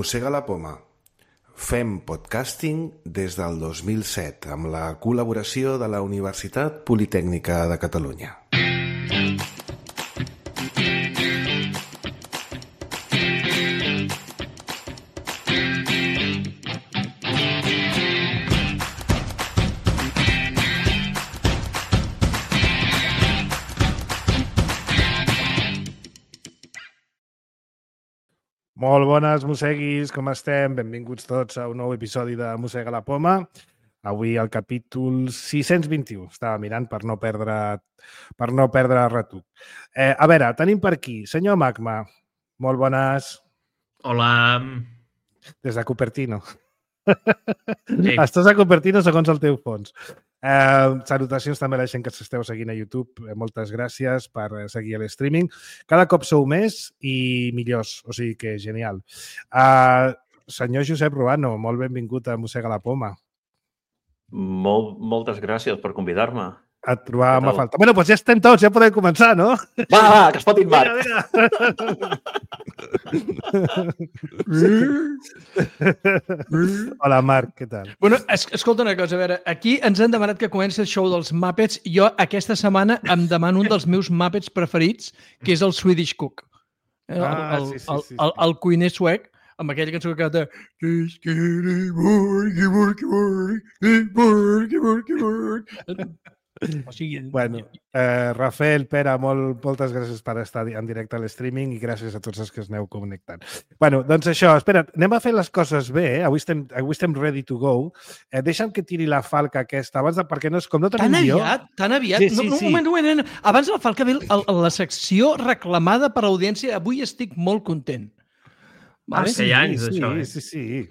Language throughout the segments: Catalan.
Mossega la poma. Fem podcasting des del 2007 amb la col·laboració de la Universitat Politècnica de Catalunya. Molt bones, mosseguis, com estem? Benvinguts tots a un nou episodi de Mossega la poma. Avui el capítol 621. Estava mirant per no perdre retruc. A veure, tenim per aquí senyor Magma. Molt bones. Hola. Des de Cupertino. Sí. Estàs a Cupertino segons el teu fons. Salutacions també a la gent que s'esteu seguint a YouTube. Moltes gràcies per seguir l'streaming. Cada cop sou més i millors, o sigui que genial. Senyor Josep Ruano, molt benvingut a Mossega la poma. Moltes gràcies per convidar-me. Et trobàvem a falta. Bueno, doncs ja estem tots, ja podem començar, no? Va, que es fotin Marc. Hola, Marc, què tal? Bueno, escolta una cosa, a veure, aquí ens han demanat que comenci el show dels Muppets. Jo aquesta setmana em demano un dels meus Muppets preferits, que és el Swedish Cook. El cuiner suec, amb aquella cançó que canta o sigui... Bueno, Rafael, Pere, moltes gràcies per estar en directe a l'streaming i gràcies a tots els que es aneu connectant. Bueno, doncs això, espera, anem a fer les coses bé, Avui estem ready to go. Deixa'm que tiri la falca aquesta, abans de, perquè no és com no tenim guió. Tan aviat? Sí. Un moment. Abans de la falca ve la secció reclamada per l'audiència. Avui estic molt content. Vale? Sí, anys, això,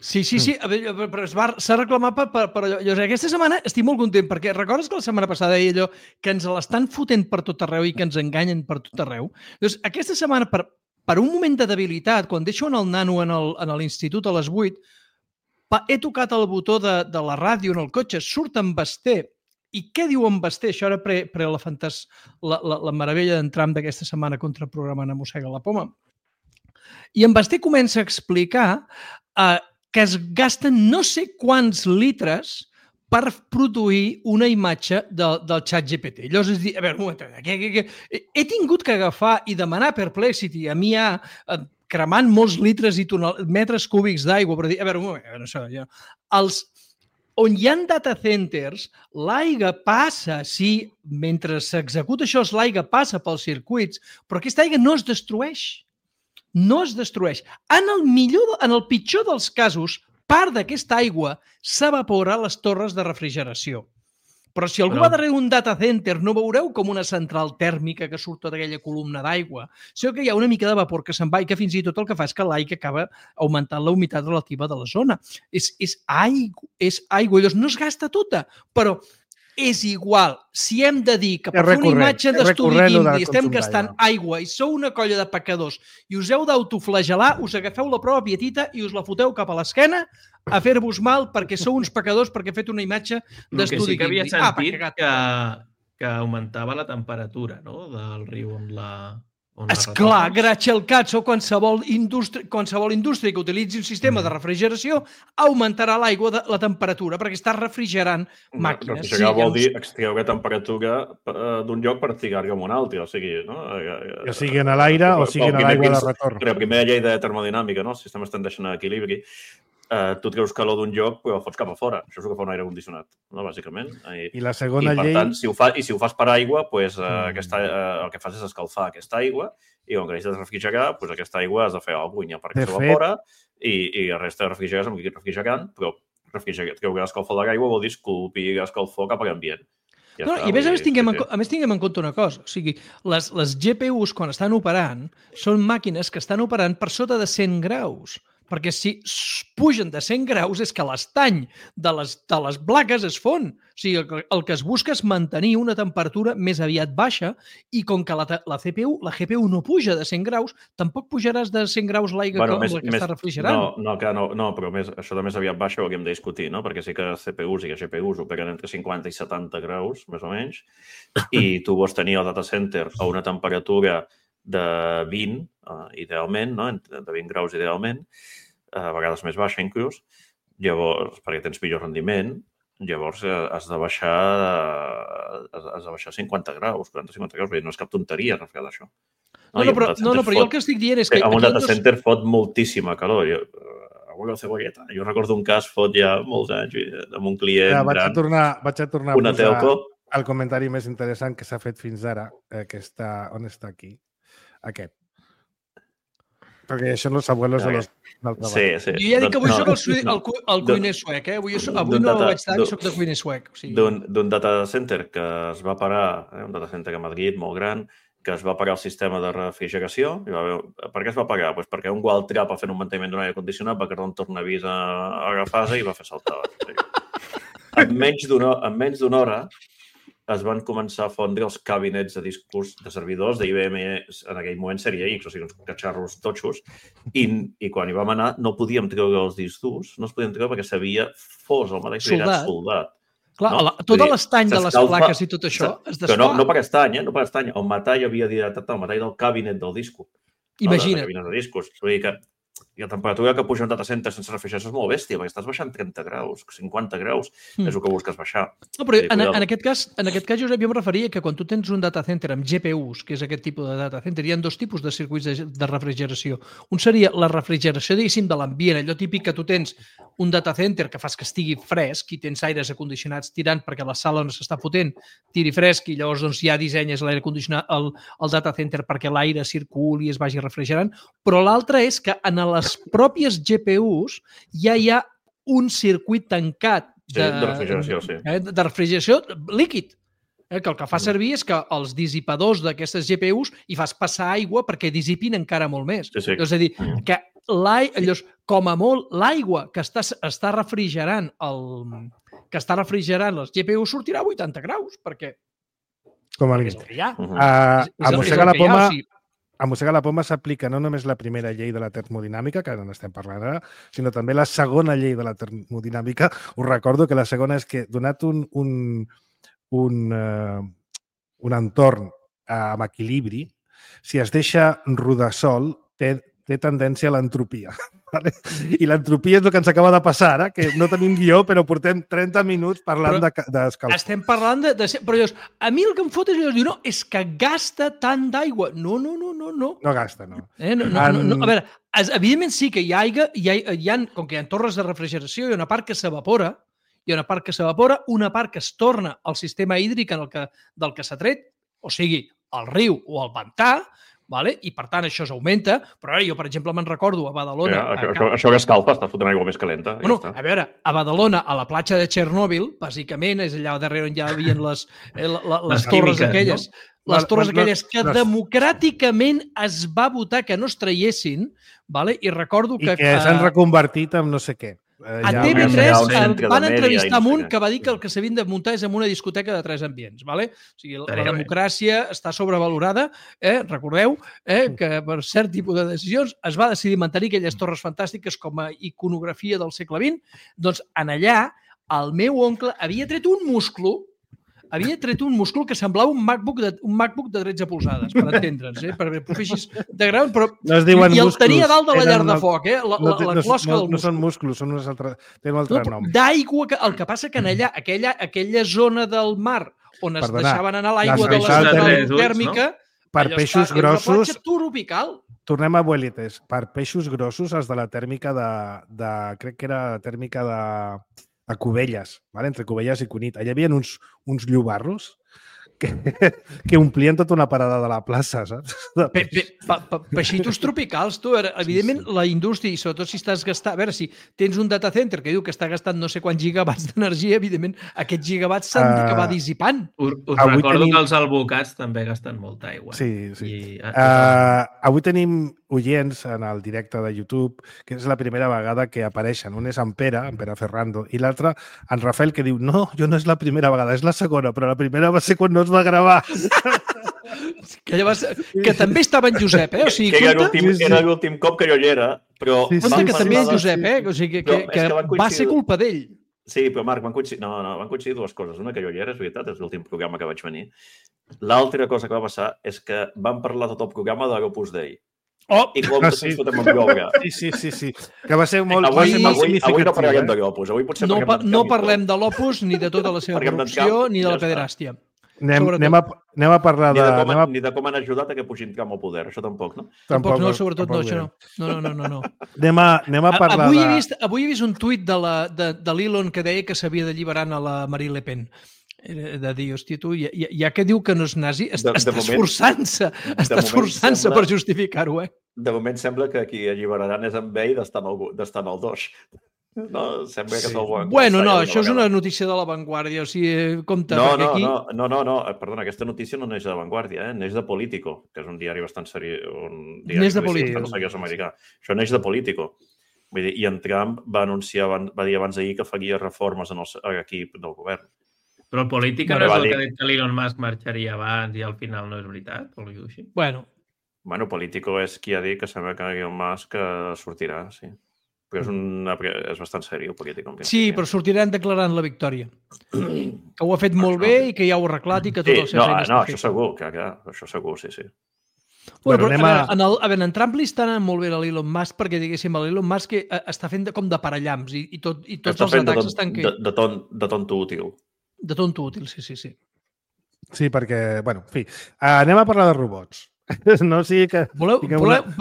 Sí. A veure, però s'ha reclamat per allò. Aquesta setmana estic molt content, perquè recordes que la setmana passada deia allò que ens l'estan fotent per tot arreu i que ens enganyen per tot arreu? Doncs aquesta setmana, per un moment de debilitat, quan deixo el nano en l'institut a les 8, he tocat el botó de la ràdio en el cotxe, surt en Basté. I què diu en Basté? Això era la meravella d'entram d'aquesta setmana contra el programa de Mossega la poma. I en Basté comença a explicar que es gasten no sé quants litres per produir una imatge del xat GPT. Llavors és dir, a veure, un moment, he tingut que agafar i demanar Perplexity a mi cremant molts litres i metres cúbics d'aigua per dir, a veure, un moment, on hi ha data centers, l'aigua passa, sí, mentre s'executa això, l'aigua passa pels circuits, però aquesta aigua no es destrueix. No es destrueix. En el pitjor dels casos, part d'aquesta aigua s'evapora a les torres de refrigeració. Però si algú va darrere un data center, no veureu com una central tèrmica que surt tota aquella columna d'aigua, sinó que hi ha una mica de vapor que se'n va i que fins i tot el que fa és que l'aigua acaba augmentant la humitat relativa de la zona. És aigua. Llavors no es gasta tota, però és igual. Si hem de dir que per fer una imatge d'estudi d'indi estem gastant aigua i sou una colla de pecadors i us heu d'autoflagelar, us agafeu la prova pietita i us la foteu cap a l'esquena a fer-vos mal perquè sou uns pecadors perquè he fet una imatge d'estudi d'indi. El que sí que havia sentit que augmentava la temperatura, no?, del riu on la... Esclar, gràcies al cazzo, qualsevol indústria que utilitzi un sistema de refrigeració augmentarà la temperatura perquè està refrigerant màquines. Refrigerar vol dir extreure temperatura d'un lloc per trigar-la a un altre, o sigui, no? Que sigui en l'aire o sigui en l'aigua de retorn. La primera llei de termodinàmica, no? Els sistemes tendeixen a equilibri. Tu treus calor d'un lloc però fots cap a fora. Això és el que fa un aire condicionat, no? Bàsicament. I la segona llei... I per tant, si ho fas per aigua, el que fas és escalfar aquesta aigua i quan necessites refrigerar, aquesta aigua has de fer alguna cosa perquè s'evapora i el resta de refrigerar és amb líquid refrigerant, però treure l'escalfor de l'aigua vol dir esculpir l'escalfor cap a l'ambient. No, i a més tinguem en compte una cosa. O sigui, les GPUs, quan estan operant, són màquines que estan operant per sota de 100 graus. Perquè si pugen de 100 graus és que l'estany de les plaques es fon. O sigui, el que es busca és mantenir una temperatura més aviat baixa i com que la GPU no puja de 100 graus, tampoc pujaràs de 100 graus l'aigua que està refrigerant. No, però això de més aviat baixa ho hauríem de discutir, no? Perquè sí que CPUs i GPUs operen entre 50 i 70 graus, més o menys, i tu vols tenir el data center a una temperatura de 20, idealment, no? De 20 graus idealment, a vegades més baixa inclús, llavors, perquè tens millor rendiment, llavors has de baixar 50 graus, 40-50 graus, no és cap tonteria refredar això. Però jo el que estic dient és que... Amb un data center fot moltíssima calor. Avui la cebolleta. Jo recordo un cas fot ja molts anys amb un client vaig a tornar una telco. El comentari més interessant que s'ha fet fins ara, que està... On està aquí? Aquest. Perquè això no els abuelos de l'altre banda. Sí. Jo ja dic que avui soc el cuiner suec, eh? Avui no vaig estar i soc de cuiner suec. D'un data center que es va parar, un data center a Madrid molt gran, que es va pagar el sistema de refrigeració. Per què es va pagar? Pues perquè un Waltrap fent un manteniment d'un aire condicionat va quedar un tornavís a agafar-se i va fer saltar. En menys d'una hora es van començar a fondre els cabinets de discos de servidors d'IBM, en aquell moment sèrie X, o sigui, uns catxarros totxos, i quan hi vam anar no podíem treure els discs durs, no els podíem treure perquè s'havia fos el mateix soldat. Clar, tot l'estany de les plaques i tot això es desfà. Però no per estany, no per estany. El metall havia dilatat el metall del cabinet del disco. Imagina't. De discos. Vull dir que la temperatura que puja un data center sense refrigeració és molt bèstia, perquè estàs baixant 30 graus, 50 graus, és el que busques baixar. No, però en aquest cas, Josep, jo em referia que quan tu tens un data center amb GPUs, que és aquest tipus de data center, hi ha dos tipus de circuits de refrigeració. Un seria la refrigeració, diguéssim, de l'ambient, allò típic que tu tens un data center que fas que estigui fresc i tens aires acondicionats tirant perquè la sala on s'està fotent tiri fresc i llavors doncs, ja dissenyes l'aire condicionat, el data center perquè l'aire circuli i es vagi refrigerant, però l'altre és que en les pròpies GPUs ja hi ha un circuit tancat de refrigeració líquid, que el que fa servir és que els dissipadors d'aquestes GPUs hi fas passar aigua perquè dissipin encara molt més. Sí. És a dir, que com a molt l'aigua que està refrigerant les GPUs sortirà a 80 graus, perquè com a mínim. A mossegar la poma s'aplica no només la primera llei de la termodinàmica, que n'estem parlant ara, sinó també la segona llei de la termodinàmica. Us recordo que la segona és que, donat un entorn amb equilibri, si es deixa rodar sol, té tendència a l'entropia. Vale? I l'entropia és el que ens acaba de passar ara, que no tenim guió, però portem 30 minuts parlant d'escalfor. Estem parlant de... Però llavors, a mi el que em fot és dir, no, és que gasta tant d'aigua. No. No gasta, no. A veure, evidentment sí que com que hi ha torres de refrigeració, hi ha una part que s'evapora, una part que es torna al sistema hídric del que s'ha tret, o sigui, al riu o al pantà, vale? I, per tant, això s'augmenta. Però ara jo, per exemple, me'n recordo a Badalona... Això que escalfa, està fotent aigua més calenta. Bueno, a veure, a Badalona, a la platja de Txernòbil, bàsicament, és allà darrere on ja hi havia les torres aquelles, les torres aquelles que democràticament es va votar que no es traiessin, vale? I recordo que... I que s'han reconvertit en no sé què. A TV3 van entrevistar un que va dir que el que s'havien de muntar és en una discoteca de 3 ambients. Vale? O sigui, la democràcia està sobrevalorada. Recordeu que per cert tipus de decisions es va decidir mantenir aquelles torres fantàstiques com a iconografia del segle XX. Doncs en allà el meu oncle havia tret un musclo que semblava un MacBook de 13 polzades, per entendre'ns, perquè ho feixis de gran, però... I el tenia dalt de la llar de foc, la closca del múscul. No són músculs, tenen un altre nom. D'aigua, el que passa que en allà, aquella zona del mar on es deixaven anar l'aigua de la central tèrmica, per peixos grossos... Una platja tropical. Tornem a abuelites. Per peixos grossos, els de la tèrmica crec que era la tèrmica de Cubelles, vale? Entre Cubelles i Cunit. Allà hi havia uns llobarros que omplien tota una parada de la plaça, saps? Peixitos tropicals, tu. Evidentment, la indústria, i sobretot si estàs gastant... A veure, si tens un data center que diu que està gastant no sé quants gigawatts d'energia, evidentment, aquests gigawatts s'han d'acabar dissipant. Us recordo que els albocats també gasten molta aigua. Sí. Avui tenim oients en el directe de YouTube, que és la primera vegada que apareixen. Un és en Pere Ferrando, i l'altre, en Rafael, que diu, no, jo no és la primera vegada, és la segona, però la primera va ser quan no es va gravar. Que també estava en Josep, O sigui, que era l'últim cop que jo hi era, però... Compte que també és Josep, O sigui, que va ser culpa d'ell. Sí, però Marc, van coincidir dues coses. Una, que jo hi era, és veritat, és l'últim programa que vaig venir. L'altra cosa que va passar és que vam parlar tot el programa de l'Opus Dei. i com ens fotem amb ioga. Sí. Que va ser molt significatiu. Avui no parlem de l'Opus. No parlem de l'Opus, ni de tota la seva corrupció, ni de la pederàstia. Anem a parlar de... Ni de com han ajudat a que pugin camp al poder, això tampoc, no? Tampoc no, sobretot no, això no. No. Anem a parlar Avui he vist un tuit de l'Elon que deia que s'havia d'alliberar a la Marine Le Pen. De dir, hòstia, tu, ja que diu que no és nazi, està esforçant-se per justificar-ho, De moment sembla que qui alliberaran és amb ell d'estar en el 2. No, sembla que és el bon. Bueno, no, això és una notícia de La Vanguardia, o sigui, compte, perquè aquí... No, perdona, aquesta notícia no neix de La Vanguardia, neix de Politico, que és un diari bastant seriós, neix de Politico. Americà. Això neix de Politico. Vull dir, i en Trump va dir abans d'ahir que faria reformes en l'equip del govern. Però el Política no és el que ha dit que l'Elon Musk marxaria abans i al final no és veritat? O alguna cosa així? Bueno, Politico és qui ha dit que sembla que Elon Musk sortirà, sí. Però és bastant seriós, Politico. Sí, però sortiran declarant la victòria. Que ho ha fet molt bé i que ja ho ha arreglat i que tot el seu feina està fet. Això segur, això segur, sí. Bueno, però en Trump li està anant molt bé a l'Elon Musk perquè, diguéssim, l'Elon Musk està fent com de parallamps i tots els atacs estan... De tonto útil. De tonto útil, sí. Sí, perquè, bueno, en fi, anem a parlar de robots. No sigui que...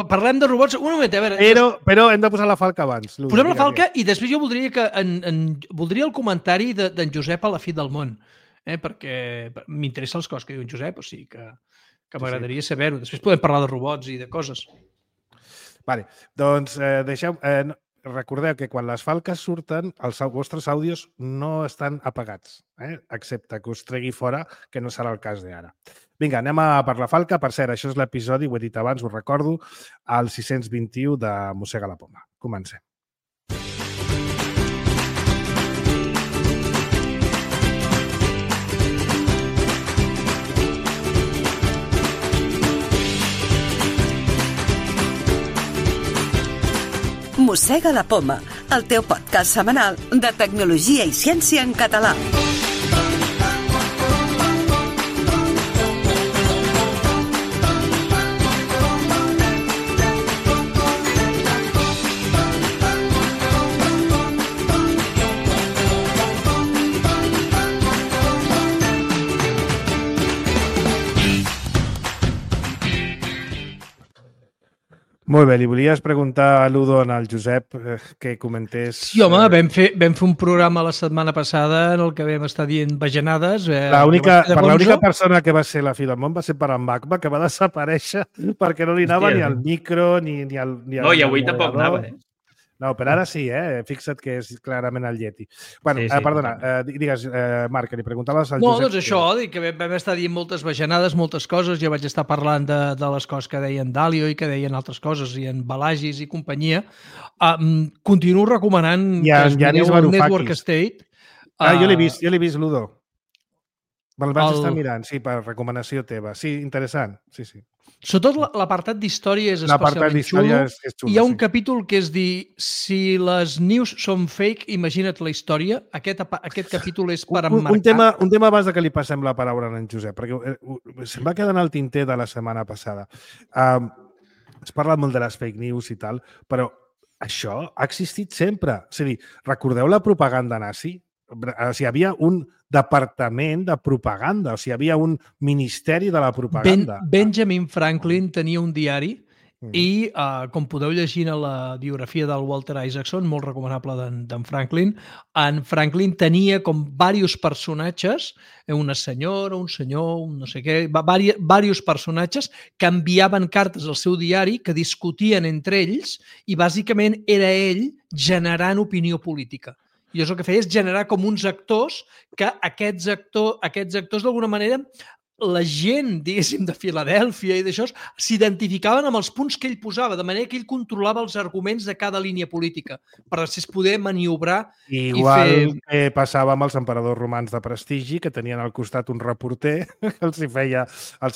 Parlem de robots un moment, a veure... Però hem de posar la falca abans. Posem la falca i després jo voldria el comentari d'en Josep a la fi del món, perquè m'interessa les coses que diu en Josep, o sigui que m'agradaria saber-ho. Després podem parlar de robots i de coses. Vale, doncs deixeu... Recordeu que quan les falques surten, els vostres àudios no estan apagats, excepte que us tregui fora, que no serà el cas d'ara. Vinga, anem a per la falca. Per cert, això és l'episodi, ho he dit abans, ho recordo, el 621 de Mossega la Poma. Comencem. Mossega la Poma, el teu podcast setmanal de tecnologia i ciència en català. Molt bé, li volies preguntar a l'Udon, al Josep, que comentés... Sí, home, vam fer un programa la setmana passada en el que vam estar dient bajanades. L'única persona que va ser la fi del món va ser per en Magma, que va desaparèixer perquè no li anava ni al micro ni al... No, i avui tampoc anava, No, però ara sí, fixa't que és clarament el Yeti. Bueno, perdona, digues, Marc, que li preguntaves al Josep... No, doncs això, que vam estar dient moltes bajanades, moltes coses, jo vaig estar parlant de les coses que deien Dalio i que deien altres coses, i en Balagis i companyia. Continuo recomanant que es mireu el Network State. Jo l'he vist, Ludo. Me'l vaig estar mirant, sí, per recomanació teva. Sí, interessant, sí. Sobretot l'apartat d'història és especialment xulo. Hi ha un capítol que és dir, si les news són fake, imagina't la història. Aquest capítol és per emmarcar. Un tema abans que li passem la paraula a en Josep, perquè se'm va quedar en el tinter de la setmana passada. Es parla molt de les fake news i tal, però això ha existit sempre. És a dir, recordeu la propaganda nazi? O sigui, hi havia un departament de propaganda, o sigui, hi havia un ministeri de la propaganda. Benjamin Franklin tenia un diari i, com podeu llegir a la biografia del Walter Isaacson, molt recomanable d'en Franklin, en Franklin tenia com diversos personatges, una senyora, un senyor, un no sé què, diversos personatges que enviaven cartes al seu diari que discutien entre ells i bàsicament era ell generant opinió política. I és el que feia és generar com uns actors que aquests actors d'alguna manera la gent, diguéssim, de Filadèlfia i d'això s'identificaven amb els punts que ell posava, de manera que ell controlava els arguments de cada línia política per després poder maniobrar Igual que passava amb els emperadors romans de prestigi, que tenien al costat un reporter que els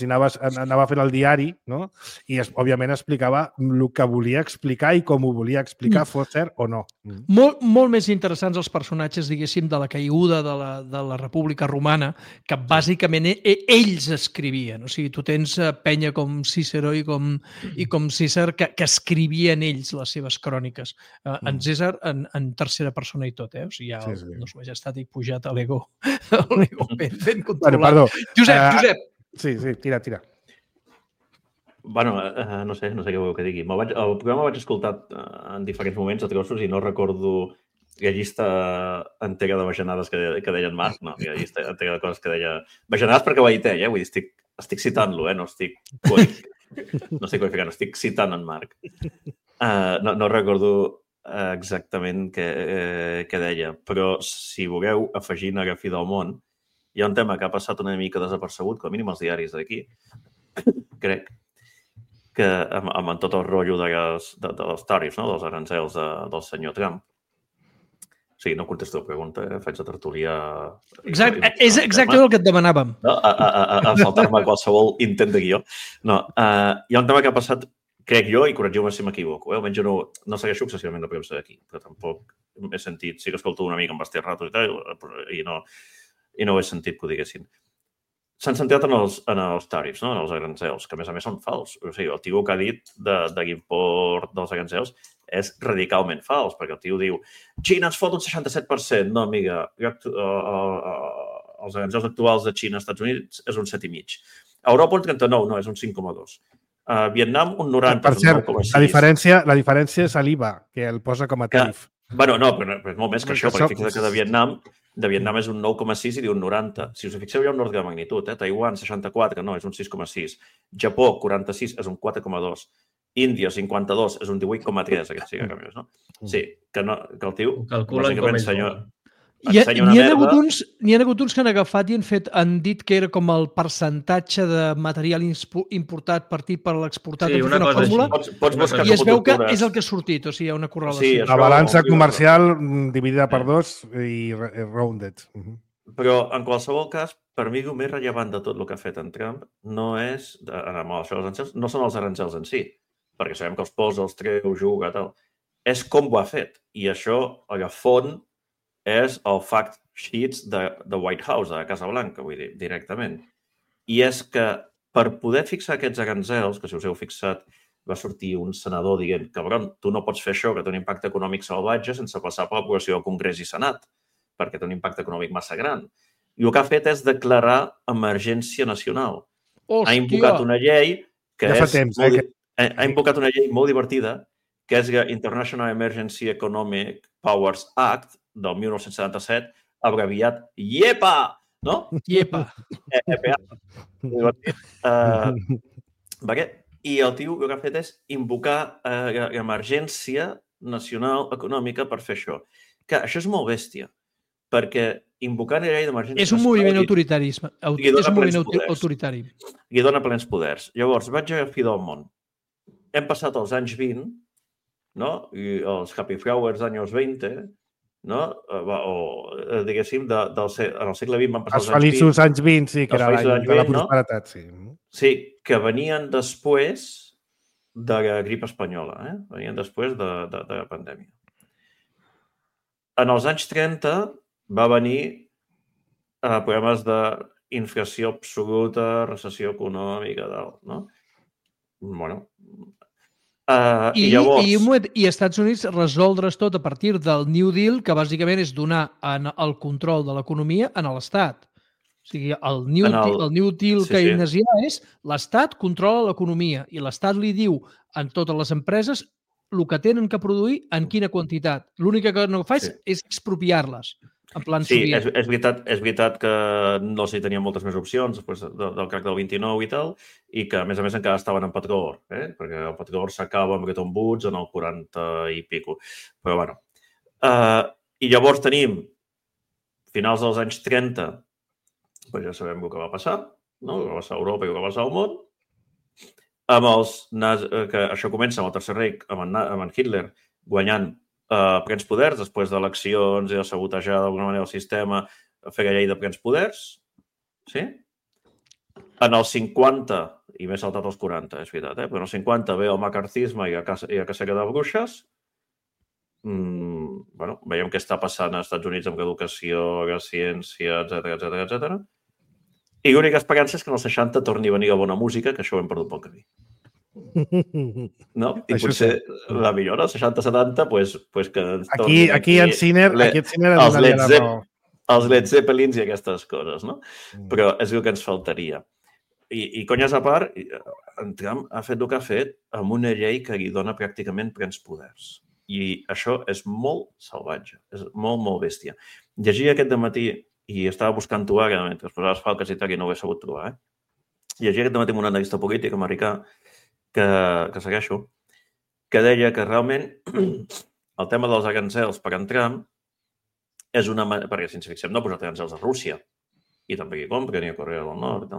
anava fent el diari, no? I òbviament explicava el que volia explicar i com ho volia explicar, fos cert o no. Molt més interessants els personatges, diguéssim, de la caiguda de la República Romana, que bàsicament ells escrivien. O sigui, tu tens penya com Cícero i com César que escrivien ells les seves cròniques. En César en tercera persona i tot, O sigui, ja no s'ho veig estat i pujat a l'ego ben controlat. Perdó. Josep. Sí, tira. Bueno, no sé què voleu que digui. El programa vaig escoltar en diferents moments a trossos i no recordo la llista entera de bajanades que deia en Marc. No, la llista entera de coses que deia... Bajanades perquè ho ha dit ell, Vull dir, estic citant-lo, no estic qualificant, estic citant en Marc. No recordo exactament què deia, però si voleu afegir a fi del món, hi ha un tema que ha passat una mica desapercebut, com a mínim els diaris d'aquí, crec, que amb tot el rotllo dels tarifs, dels arancels del senyor Trump. O sigui, no contesto la pregunta, faig la tertúlia... És exactament el que et demanàvem. A saltar-me qualsevol intent de guió. No, hi ha un tema que ha passat, crec jo, i corregiu-me si m'equivoco, almenys jo no segueixo excessivament la premsa d'aquí, però tampoc he sentit, sí que escolto una mica amb Basté Ratos i tal, i no he sentit que ho diguessin. S'han centrat en els tarifs, en els arancels, que a més són fals. O sigui, el tio que ha dit de l'import dels arancels és radicalment fals, perquè el tio diu Xina ens fot un 67%. No, amiga, els arancels actuals de Xina als Estats Units és un 7,5%. A Europa un 39%, no, és un 5,2%. A Vietnam un 90%, per cert, un 9,6%. La diferència és l'IVA, que el posa com a tarif. Bueno, no, però és molt més que això, perquè fixa't que de Vietnam és un 9,6 i diu un 90. Si us fixeu, hi ha un ordre de magnitud. Taiwan, 64, no, és un 6,6. Japó, 46, és un 4,2. Índia, 52, és un 18,3, aquest sí que canvies, no? Sí, que el tio... Calculen com N'hi ha hagut uns que han agafat i han dit que era com el percentatge de material importat partit per l'exportat sí, una fórmula, i es veu que és el que ha sortit, o sigui, hi ha una correlació. Sí, la balança comercial dividida per 2 i rounded. Però, en qualsevol cas, per mi el més rellevant de tot el que ha fet en Trump no és, no són els arancels en si, perquè sabem que els posa, els treu, juga, tal. És com ho ha fet. I això, a la font, és el fact sheets de White House, de la Casa Blanca, vull dir, directament. I és que per poder fixar aquests arancels, que si us heu fixat va sortir un senador dient cabron, tu no pots fer això, que té un impacte econòmic salvatge sense passar per l'aprovació del Congrés i Senat, perquè té un impacte econòmic massa gran. I el que ha fet és declarar emergència nacional. Ha invocat una llei que ha invocat una llei molt divertida, que és la International Emergency Economic Powers Act, del 1977, abreviat IEPA, no? IEPA. I el tio el que ha fet és invocar l'emergència nacional econòmica per fer això. Que això és molt bèstia, perquè invocar la llei d'emergència... És un moviment autoritari. És un moviment autoritari. I dona plens poders. Llavors, vaig a fi del món. Hem passat els anys 20, no? I els Happy Flowers anys 20, no? O, diguéssim, en el segle XX van passar els feliços anys 20, sí, que era l'any de la prosperitat, sí. Sí, que venien després de la grip espanyola, venien després de la pandèmia. En els anys 30 va venir problemes d'inflació absoluta, recessió econòmica, no? Bueno... I Estats Units resoldre's tot a partir del New Deal, que bàsicament és donar el control de l'economia a l'Estat. O sigui, el New Deal keynesià és l'Estat controla l'economia i l'Estat li diu a totes les empreses el que tenen que produir en quina quantitat. L'únic que no fa és expropiar-les. En plan soviètic. És veritat que no s'hi tenien moltes més opcions després del crac del 29 i tal, i que, a més, encara estaven en petrol, perquè el petrol s'acaba amb Bretton Woods en el 40 i pico. Però, bueno. I llavors tenim, finals dels anys 30, doncs ja sabem el que va passar, no? El que va passar a Europa i el que va passar al món. Que això comença amb el Tercer Reich, amb en Hitler, guanyant plens poders, després d'eleccions i de sabotejar d'alguna manera el sistema, fer la llei de plens poders. Sí? En els 50, i m'he saltat els 40, és veritat, però en els 50 ve el macartisme i la cacera de bruixes. veiem què està passant als Estats Units amb educació, ciència, etc. I l'única esperança és que en els 60 torni a venir la bona música, que això ho hem perdut pel camí. No? I potser la millor, els 60-70, pues que ens tornin aquí en Sinner els Led Zeppelins i aquestes coses, no? Però és el que ens faltaria. I conyes a part, en Trump ha fet el que ha fet amb una llei que li dona pràcticament plens poders. I això és molt salvatge, és molt, molt bèstia. Llegia aquest dematí, i estava buscant-ho ara, mentre es posaves falques i tal, i no ho he sabut trobar, Llegia aquest dematí amb un analista polític americà que segueixo, que deia que realment el tema dels aranzels per en Trump és una manera, perquè si ens fixem no ha posat aranzels a Rússia, i també hi compren, i a Corea del Nord,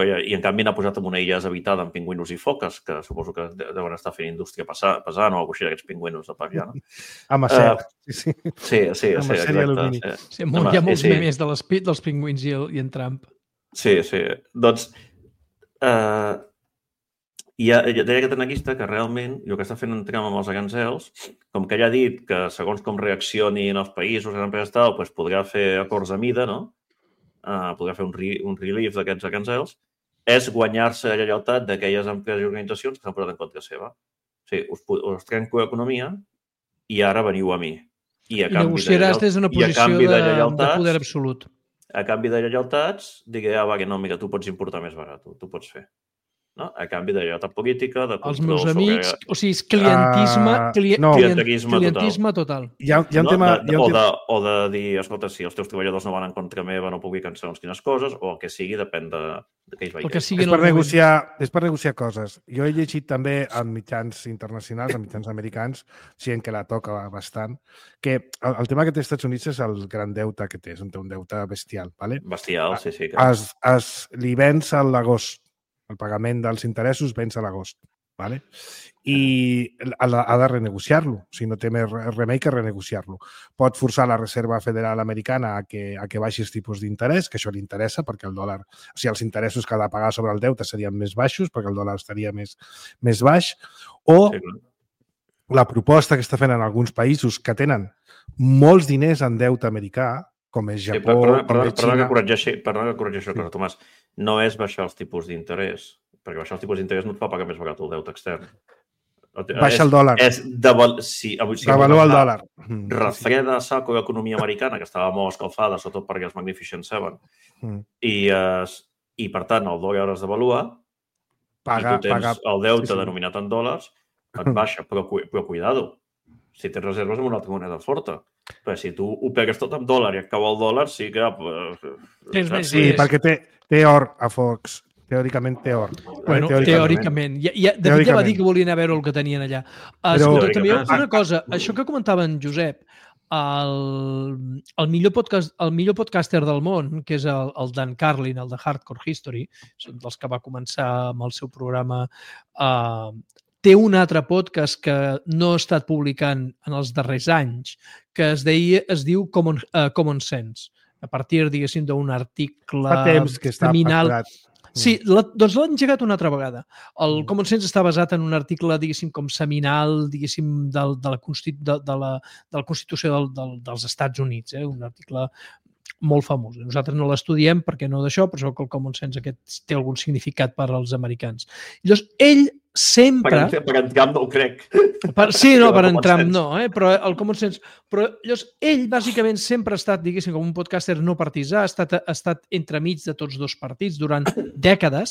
i en canvi n'ha posat en una illa deshabitada amb pingüinos i foques, que suposo que deuen estar fent indústria pesant o alguna cosa així d'aquests pingüinos de per allà, no? Amb acer, sí, exacte. Sí, hi ha molts memes dels pingüins i en Trump. Sí, doncs deia aquest analista que realment el que està fent en Trump amb els aranzels, com que ell ha dit que segons com reaccionin els països, les empreses tal, doncs podrà fer acords a mida, no? Podrà fer un relief d'aquests aranzels, és guanyar-se la lleialtat d'aquelles empreses i organitzacions que s'han posat en contra seva. O sigui, us trenco l'economia i ara veniu a mi. I negociaràs des d'una posició de poder absolut. A canvi de lleialtats, digui, que no, mira, tu pots importar més barat, tu pots fer. No? A canvi de lleialtat política, de control... Els meus amics, o sigui, és clientisme total. O de dir, escolta, si els teus treballadors no van en contra meva, no publiquen segons quines coses, o el que sigui, depèn de què ells veien. És per negociar coses. Jo he llegit també en mitjans internacionals, en mitjans americans, gent que la toca bastant, que el tema que té als Estats Units és el gran deute que té, és un deute bestial. ¿vale? Bestial, sí. Li venç a l'agost. El pagament dels interessos venç a l'agost. ¿vale? I ha de renegociar-lo. O sigui, no té més remei que renegociar-lo. Pot forçar la Reserva Federal Americana a que baixi els tipus d'interès, que això li interessa, perquè el dòlar... O sigui, els interessos que ha de pagar sobre el deute serien més baixos, perquè el dòlar estaria més baix. O la proposta que està fent en alguns països que tenen molts diners en deute americà, com és Japó, com és Xina... Perdona que corregeixo això, Tomàs. No és baixar els tipus d'interès, perquè baixar els tipus d'interès no et fa pagar més barat el deute extern. Baixa el dòlar. Devalua el dòlar. Refreda a saco l'economia americana, que estava molt escalfada, sobretot perquè els Magnificent Seven, i per tant el dòlar es devalua, i tu tens el deute denominat en dòlars, et baixa, però cuidado, si tens reserves amb una altra moneda forta. Però si tu ho pegues tot amb dòlar i et cau el dòlar, sí que... Sí, perquè té or a Fox. Teòricament té or. Bueno, teòricament. De fet, ja va dir que volien a veure el que tenien allà. Escolta, també una cosa. Això que comentava en Josep, el millor podcaster del món, que és el Dan Carlin, el de Hardcore History, dels que va començar amb el seu programa... Té un altre podcast que no ha estat publicant en els darrers anys, que es diu Common Sense, a partir, diguéssim, d'un article fa temps que està aturat. Sí, doncs l'han engegat una altra vegada. El Common Sense està basat en un article, diguéssim, com seminal, diguéssim, de la Constitució dels Estats Units, un article molt famós. Nosaltres no l'estudiem perquè no d'això, però que el Common Sense aquest té algun significat per als americans. Llavors, ell sempre... Per en Trump no ho crec. Sí, no, per en Trump no, però el Common Sense... Però llavors, ell bàsicament sempre ha estat, diguéssim, com un podcaster no partisà, ha estat entremig de tots dos partits durant dècades,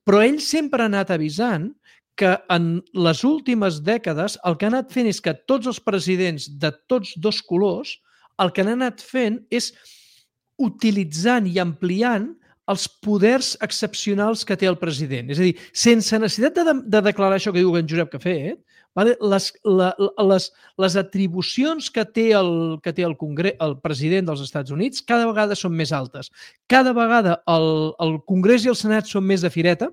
però ell sempre ha anat avisant que en les últimes dècades el que ha anat fent és que tots els presidents de tots dos colors el que han anat fent és utilitzant i ampliant els poders excepcionals que té el president. És a dir, sense necessitat de declarar això que diu en Josep que ha fet, les atribucions que té el president dels Estats Units cada vegada són més altes. Cada vegada el Congrés i el Senat són més de fireta.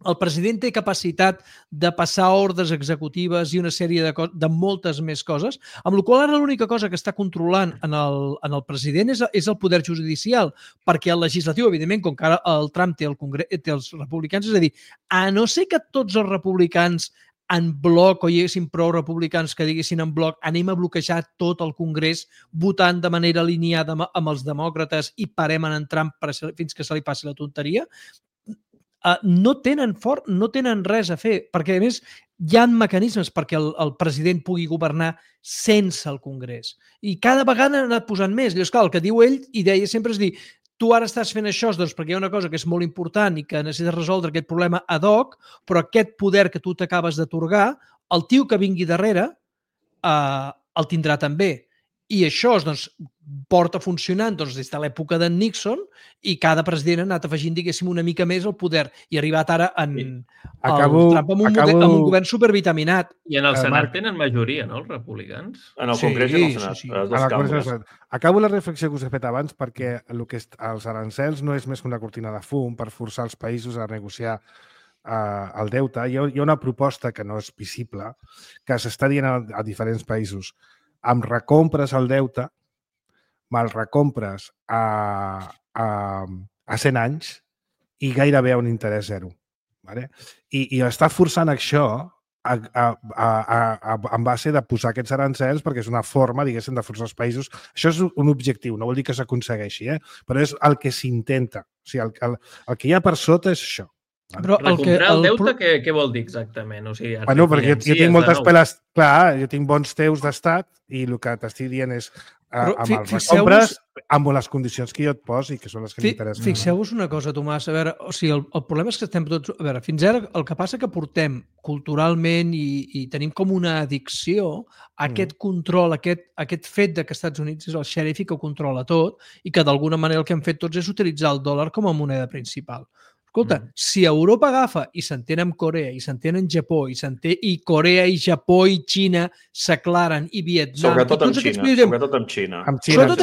El president té capacitat de passar ordres executives i una sèrie de moltes més coses, amb la qual ara l'única cosa que està controlant en el president és el poder judicial, perquè el legislatiu, evidentment, com que ara el Trump té els republicans, és a dir, a no ser que tots els republicans en bloc o hi haguessin prou republicans que diguessin en bloc anem a bloquejar tot el Congrés votant de manera alineada amb els demòcrates i parem en Trump fins que se li passi la tonteria, no tenen res a fer, perquè a més hi ha mecanismes perquè el president pugui governar sense el Congrés. I cada vegada han anat posant més. Llavors, clar, el que diu ell, i deia sempre, és dir, tu ara estàs fent això doncs, perquè hi ha una cosa que és molt important i que necessites resoldre aquest problema ad hoc, però aquest poder que tu t'acabes d'atorgar, el tio que vingui darrere el tindrà també. I això doncs, porta funcionant des de l'època d'en Nixon i cada president ha anat afegint, diguéssim, una mica més el poder i ha arribat ara Trump amb un govern supervitaminat. I en el Senat tenen majoria, no, els republicans? En el Congrés i en el Senat. Acabo la reflexió que us he fet abans perquè els arancels no és més que una cortina de fum per forçar els països a negociar el deute. Hi ha una proposta que no és visible que s'està dient a diferents països. Em recompres el deute, me'l recompres a 100 anys i gairebé a un interès zero. I està forçant això en base de posar aquests arancels perquè és una forma, diguéssim, de forçar els països. Això és un objectiu, no vol dir que s'aconsegueixi, però és el que s'intenta. O sigui, el que hi ha per sota és això. Però recomprar el deute, què vol dir exactament? O sigui, perquè jo tinc moltes peles... Clar, jo tinc bons teus d'estat i el que t'estic dient és amb els recompres, amb les condicions que jo et posi, que són les que m'interessen. Fixeu-vos una cosa, Tomàs. A veure, o sigui, el problema és que estem tots... A veure, fins ara el que passa que portem culturalment i tenim com una addicció a aquest control, aquest fet que Estats Units és el xèrif i que ho controla tot i que d'alguna manera el que hem fet tots és utilitzar el dòlar com a moneda principal. Escolta, si Europa agafa i s'entén amb Corea i s'entén amb Japó i Corea i Japó i Xina s'aclaren i Vietnam... Sobretot amb Xina.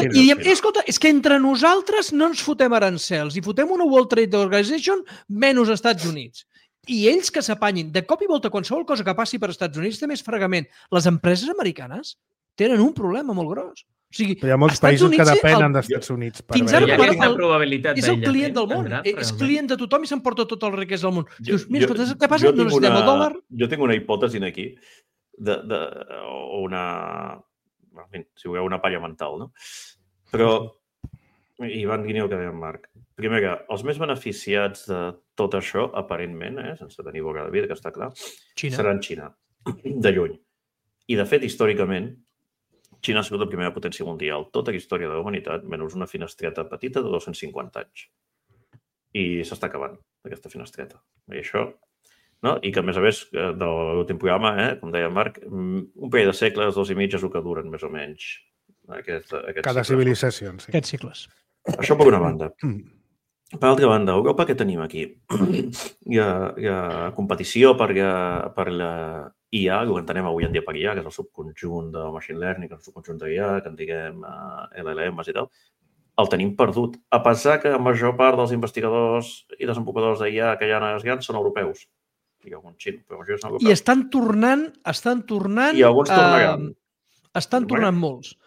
I diem, escolta, és que entre nosaltres no ens fotem arancels i fotem una World Trade Organization menys Estats Units. I ells que s'apanyin. De cop i volta, qualsevol cosa que passi per Estats Units té més fregament. Les empreses americanes tenen un problema molt gros. O sigui, hi ha molts països que depenen d'Estats Units. Fins ara és el client del món. És client de tothom i s'emporta tot el riquesa del món. Dius, mira, escolta, què passa? No necessitem el dòlar. Jo tinc una hipòtesi aquí, si vulgueu, una palla mental, no? Però, i van dir el que deia en Marc, primer que els més beneficiats de tot això, aparentment, sense tenir boca de vida, que està clar, seran Xina, de lluny. I, de fet, històricament, Xina ha sigut la primera potència mundial, tota la història de la humanitat, menys una finestreta petita de 250 anys. I s'està acabant, aquesta finestreta. I això, no? I que, a més, de l'últim programa, com deia Marc, un parell de segles, 2 i mig, és el que duren, més o menys. Cada civilització. Aquests cicles. Això per una banda. Per altra banda, a Europa, què tenim aquí? Hi ha competició per la IA, el que entenem avui en dia per IA, que és el subconjunt de Machine Learning, el subconjunt de IA, que en diguem LLMs i tal, el tenim perdut. A pesar que la major part dels investigadors i desenvolupadors d'IA que hi ha als grans són europeus. Hi ha algun xino, però això són europeus. I estan tornant... I alguns tornaran. Estan tornant molts.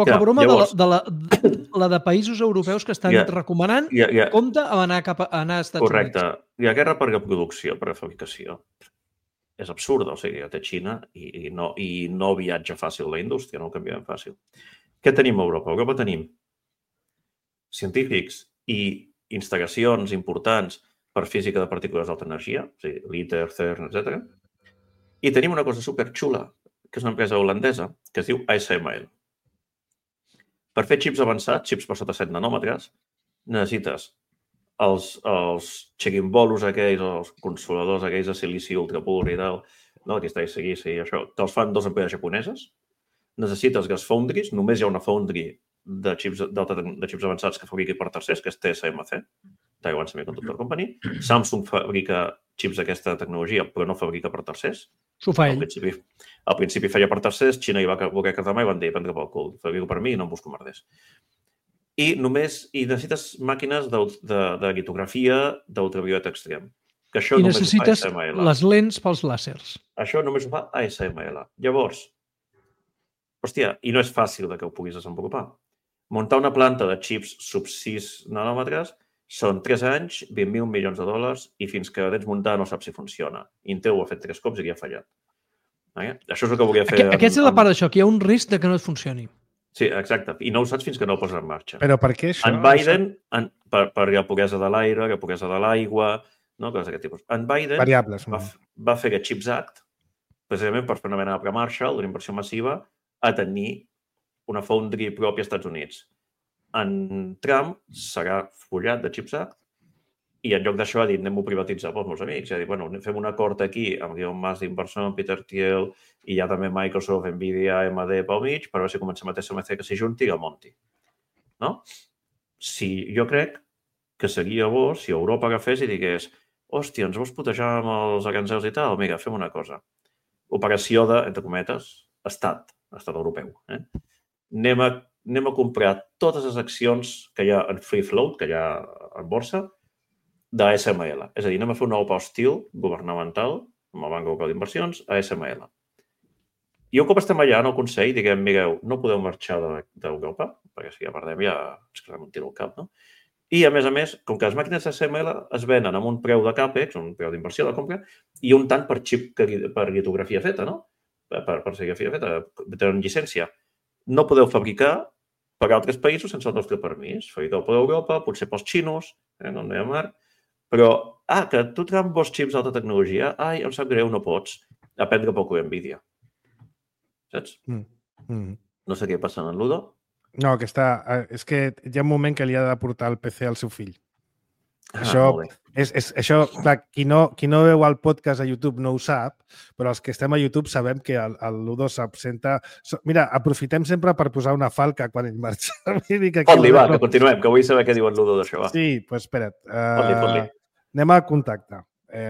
Poca broma de la de països europeus que estan recomanant compte a anar a Estats Units. Correcte. Hi ha guerra per la producció, per la fabricació. És absurd, o sigui, té Xina i no viatja fàcil la indústria, no ho canviem fàcil. Què tenim a Europa? A Europa tenim científics i instal·lacions importants per física de partícules d'alta energia, o sigui, l'ITER, CERN, etc. I tenim una cosa superxula, que és una empresa holandesa, que es diu ASML. Per fer xips avançats, xips per sota 7 nanòmetres, necessites els xequimbolos aquells, els consoladors aquells de silici ultrapur i tal, que està a seguir, això, te'ls fan 2 empreses japoneses. Necessites gas foundries, només hi ha una foundry de xips avançats que fabriqui per tercers, que és TSMC, Taiwan Semiconductor Company. Samsung fabrica xips d'aquesta tecnologia, però no fabrica per tercers. S'ho fa ell. Al principi feia per tercers, Xina hi va voler quedar mà i van dir, prendre pel cul, fabrico per mi i no em busco merders. I necessites màquines de litografia d'ultravioleta extrem. I necessites les lents pels làsers. Això només ho fa ASML. Llavors, hòstia, i no és fàcil que ho puguis desenvolupar. Muntar una planta de xips sub 6 nanòmetres Són 3 anys, 20.000 milions de dòlars i fins que tens muntada no saps si funciona. Intel ho ha fet 3 cops i aquí ha fallat. Això és el que volia fer... Aquesta és la part d'això, que hi ha un risc de que no et funcioni. Sí, exacte. I no ho saps fins que no ho poses en marxa. Però per què això? En Biden, per la pobresa de l'aire, la pobresa de l'aigua, no? Coses d'aquest tipus. En Biden Variables. va fer aquest CHIPS Act precisament per fer una mena de pla Marshall, d'una inversió massiva, a tenir una foundry pròpia als Estats Units. En Trump serà follat de CHIPS Act i en lloc d'això ha dit anem-ho a privatitzar pels meus amics. Ha dit, bueno, fem un acord aquí amb Elon Musk d'inversor, amb Peter Thiel i hi ha també Microsoft, Nvidia, AMD pel mig, per veure si comencem a TSMC que s'hi junti i el monti. No? Si jo crec que seria bo si Europa agafés i digués hòstia, ens vols putejar amb els aranzels i tal? Mira, fem una cosa. Operació de, entre cometes, estat europeu. Anem a comprar totes les accions que hi ha en free float, que hi ha en borsa, d'ASML. És a dir, anem a fer un nou hostil governamental, amb el Banc Europeu d'Inversions, a ASML. I un cop estem allà en el Consell, diguem, mireu, no podeu marxar d'Europa, perquè si ja perdem ja ens quedem un tiro al cap, no? I, a més, com que les màquines ASML es venen amb un preu de CAPEX, un preu d'inversió de compra, i un tant per xip per litografia feta, no? Per serigrafia feta, tenen llicència. No podeu fabricar per altres països sense el nostre permís. Fabriqueu per Europa, potser pels xinos, no hi ha mar. Però, que tu Trump vols xips d'alta tecnologia? Ai, em sap greu, no pots. Aprendre poc Nvidia. Saps? No sé què passa en Ludo. No, que està... És que hi ha un moment que li ha de portar el PC al seu fill. Això, clar, qui no veu el podcast a YouTube no ho sap, però els que estem a YouTube sabem que el Ludo s'absenta... Mira, aprofitem sempre per posar una falca quan ell marxa. Fot-li, va, que continuem, que vull saber què diu el Ludo d'això, va. Sí, doncs espera't. Fot-li. Anem a contacte.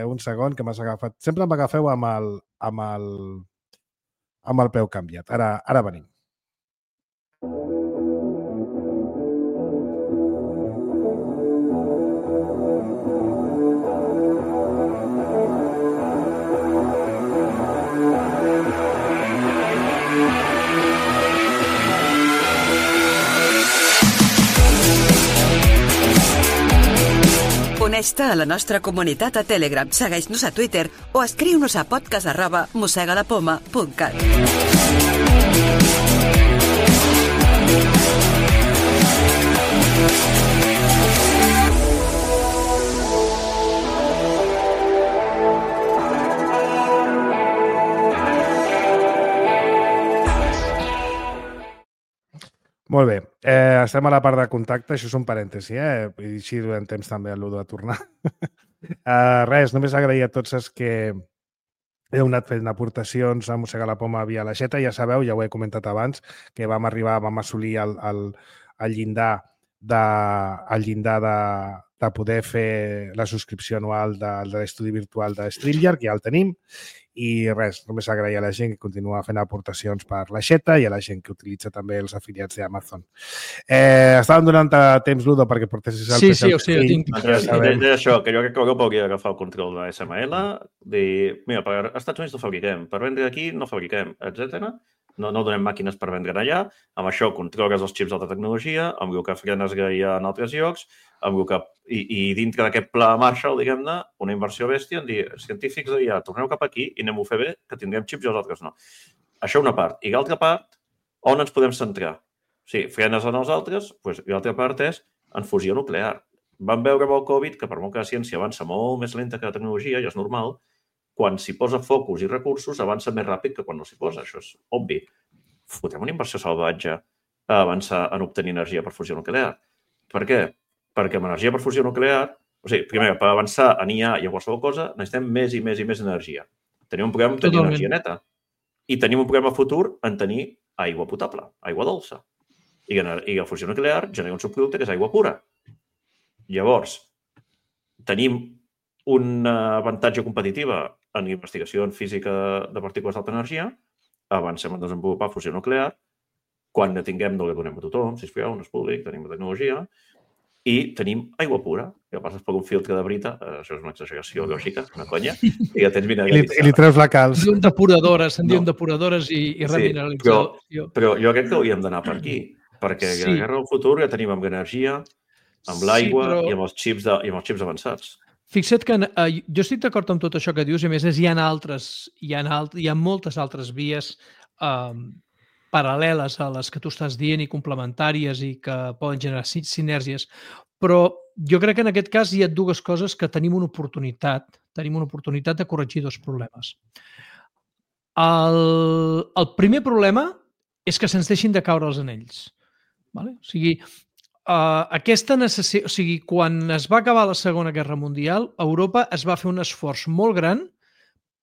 Un segon, que m'has agafat. Sempre m'agafeu amb el peu canviat. Ara venim. Uneix-te a la nostra comunitat a Telegram, segueix-nos a Twitter o escriu-nos a podcast@mossegalapoma.cat. Molt bé. Estem a la part de contacte. Això és un parèntesi, I així durant temps també el Ludo a tornar. Res, només agrair a tots els que heu anat fent aportacions a Mossegar la Poma via l'aixeta. Ja sabeu, ja ho he comentat abans, que vam assolir el llindar de poder fer la subscripció anual de l'estudi virtual de StreamYard, que ja el tenim. I res, només agrair a la gent que continua fent aportacions per l'aixeta i a la gent que utilitza també els afiliats d'Amazon. Estàvem donant temps, Ludo, perquè portessis el PC. Sí, ho tinc. Això, que jo crec que Europa hauria d'agafar el control de SML, dir, mira, per Estats Units no fabriquem, per vendre aquí no fabriquem, etc. No donem màquines per vendre allà. Amb això controles els xips d'alta tecnologia, amb el que frenes hi ha en altres llocs, i dintre d'aquest pla Marshall, diguem-ne, una inversió bèstia en dir, científics d'allà, torneu cap aquí i anem-ho a fer bé, que tindrem xips i els altres no. Això una part. I l'altra part, on ens podem centrar? Sí, frenes en els altres, doncs l'altra part és en fusió nuclear. Vam veure amb el Covid que per molt que la ciència avança molt més lenta que la tecnologia, i és normal, quan s'hi posa focus i recursos avança més ràpid que quan no s'hi posa. Això és obvi. Fotem una inversió salvatge a avançar en obtenir energia per fusió nuclear. Per què? Perquè amb energia per fusió nuclear, o sigui, primer, per avançar en IA i a qualsevol cosa, necessitem més i més i més energia. Tenim un problema en tenir energia neta. I tenim un problema futur en tenir aigua potable, aigua dolça. I la fusió nuclear genera un subproducte que és aigua pura. Llavors, tenim un avantatge competitiva en investigació en física de partícules d'alta energia, avancem a desenvolupar fusió nuclear, quan ne tinguem no la donem a tothom, sisplau, no és públic, tenim la tecnologia, i tenim aigua pura, que passes per un filtre de brita, això és una exageració lògica, una conya, i ja tens mineralitzada. I li treus la calç. Se'n diuen depuradores i remineralització. Però jo crec que hauríem d'anar per aquí, perquè la guerra del futur ja tenim amb energia, amb l'aigua però... i amb els xips avançats. Fixa't que jo estic d'acord amb tot això que dius, i a més hi ha moltes altres vies paral·leles a les que tu estàs dient i complementàries i que poden generar sinergies, però jo crec que en aquest cas hi ha dues coses que tenim una oportunitat de corregir dos problemes. El primer problema és que se'ns deixin de caure els anells. Vale? O sigui, quan es va acabar la Segona Guerra Mundial, Europa es va fer un esforç molt gran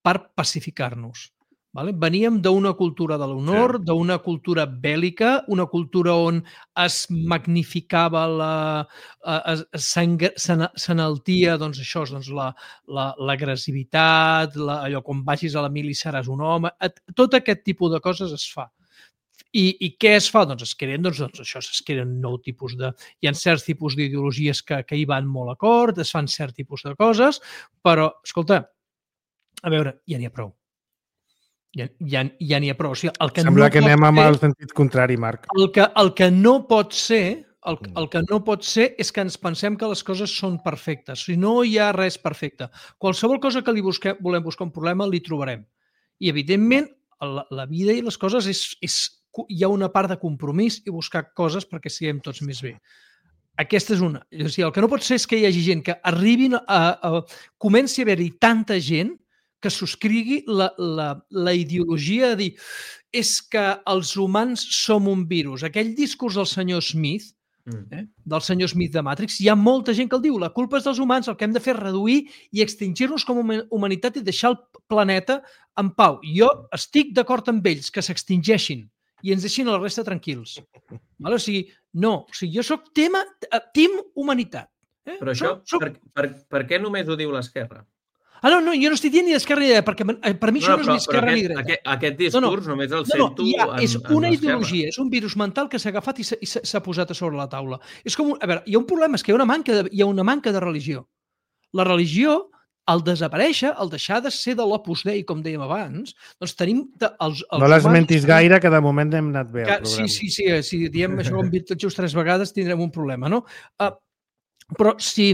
per pacificar-nos. Vale? Veníem d'una cultura de l'honor, d'una cultura bèl·lica, una cultura on es magnificava, s'enaltia l'agressivitat, allò com vagis a la mili seràs un home, tot aquest tipus de coses es fa. I què es fa? Doncs es creen nou tipus de... Hi ha certs tipus d'ideologies que hi van molt d'acord, es fan cert tipus de coses, però, escolta, a veure, ja n'hi ha prou. Ja n'hi ha prou. O sigui, sembla que anem amb el sentit contrari, Marc. El que no pot ser és que ens pensem que les coses són perfectes. Si no hi ha res perfecte. Qualsevol cosa que volem buscar un problema, li trobarem. I, evidentment, la vida i les coses hi ha una part de compromís i buscar coses perquè siguem tots més bé. Aquesta és una. O sigui, el que no pot ser és que hi hagi gent que arribin comenci a haver-hi tanta gent que subscrigui la ideologia de dir és que els humans som un virus. Aquell discurs del senyor Smith, del senyor Smith de Matrix, hi ha molta gent que el diu, la culpa és dels humans, el que hem de fer és reduir i extingir-nos com a humanitat i deixar el planeta en pau. Jo estic d'acord amb ells que s'extingeixin i ens deixin la resta tranquils. O sigui, no. O sigui, jo soc team humanitat. Però això, per què només ho diu l'esquerra? No, jo no estic dient ni d'esquerra ni de dreta, perquè per mi això no és ni esquerra ni dreta. Aquest discurs només el sento en l'esquerra. És una ideologia, és un virus mental que s'ha agafat i s'ha posat a sobre la taula. És com, a veure, hi ha un problema, és que hi ha una manca de religió. La religió, al desaparèixer, al deixar de ser de l'Opus Dei, com dèiem abans, doncs tenim... No l'esmentis gaire, que de moment hem anat bé al programa. Sí, si diem això com tot just 3 vegades tindrem un problema, no? Però si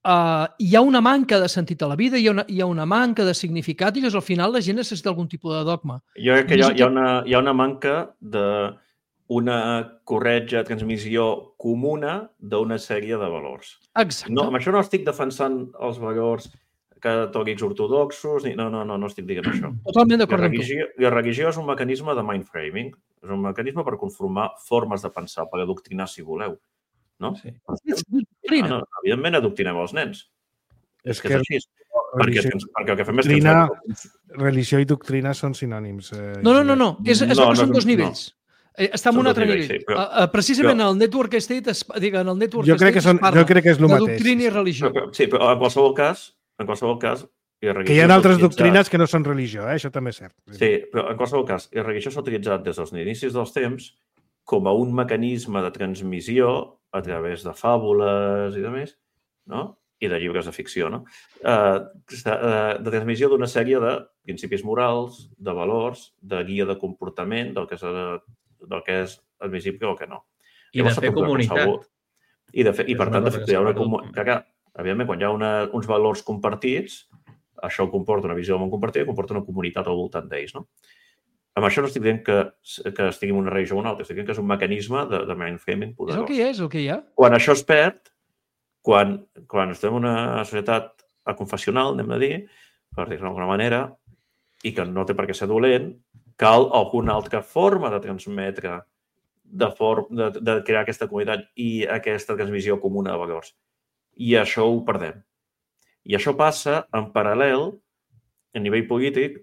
hi ha una manca de sentit a la vida, hi ha una manca de significat i al final la gent necessita algun tipus de dogma. Jo crec que hi ha una manca d'una corretja transmissió comuna d'una sèrie de valors. Exacte. No, amb això no estic defensant els valors catòlics ortodoxos, no estic dient això. Totalment d'acord amb tu. La religió és un mecanisme de mindframing, és un mecanisme per conformar formes de pensar, per adoctrinar, si voleu. No? Sí. Evidentment adoctrinem els nens. És que és així. Perquè el que fem és... Religió i doctrina són sinònims. No. Són dos nivells. Està en un altre nivell. Precisament el Network State jo crec que és el mateix. De doctrina i religió. Sí, però en qualsevol cas... Que hi ha altres doctrines que no són religió, això també és cert. Sí, però en qualsevol cas, la religió s'ha utilitzat des dels inicis dels temps com a un mecanisme de transmissió a través de fàbules i de més, no? I de llibres de ficció, no? De transmissió d'una sèrie de principis morals, de valors, de guia de comportament, del que és admissible o que no. I de fer comunitat. I per tant, de fer una comunitat. Evidentment, quan hi ha uns valors compartits, això comporta una visió del món compartida, comporta una comunitat al voltant d'ells, no? Amb això no estic dient que estigui en una religió o una altra, estic dient que és un mecanisme de mindframing poderós. És el que hi ha. Quan això es perd, quan estem en una societat confessional, anem a dir, per dir-ho d'alguna manera, i que no té per què ser dolent, cal alguna altra forma de transmetre, de crear aquesta comunitat i aquesta transmissió comuna de valors. I això ho perdem. I això passa en paral·lel, a nivell polític,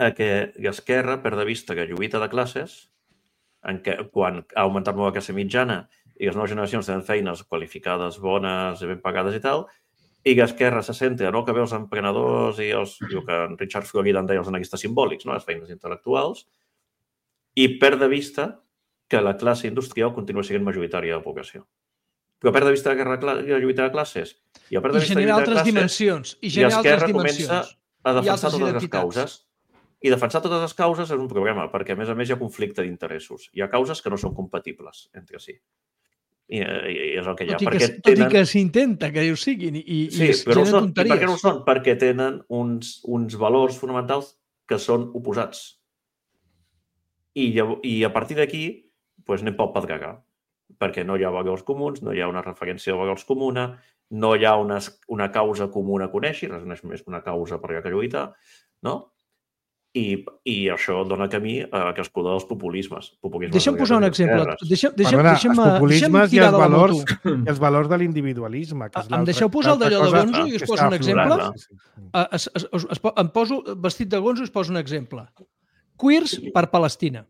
a que l'esquerra perd de vista que lluita de classes, en què quan ha augmentat molt la classe mitjana i les noves generacions tenen feines qualificades, bones i ben pagades i tal, i l'esquerra se centra en el que ve els emprenedors i el que en Richard Florida en deia els analistes simbòlics, no? Les feines intel·lectuals, i perd de vista que la classe industrial continua sent majoritària de la població. Però perd de vista la lluita de classes. I generar altres dimensions. I l'esquerra comença a defensar totes les causes. I defensar totes les causes és un problema, perquè a més hi ha conflicte d'interessos. Hi ha causes que no són compatibles entre si. I és el que hi ha. Tot i que s'intenta que ho siguin i però generen tonteries. I per què no ho són? Perquè tenen uns valors fonamentals que són oposats. I a partir d'aquí anem pel pedregar, perquè no hi ha valors comuns, no hi ha una referència de valors comuna, no hi ha una causa comuna a conèixer, res no és més que una causa per que lluitar, no? I això dona camí a que es cuida dels populismes. Deixa'm posar un exemple. Els populismes i els valors de l'individualisme. Em deixeu posar el d'allò de Gonzo i us poso un exemple? Em poso vestit de Gonzo i us poso un exemple. Queers per Palestina.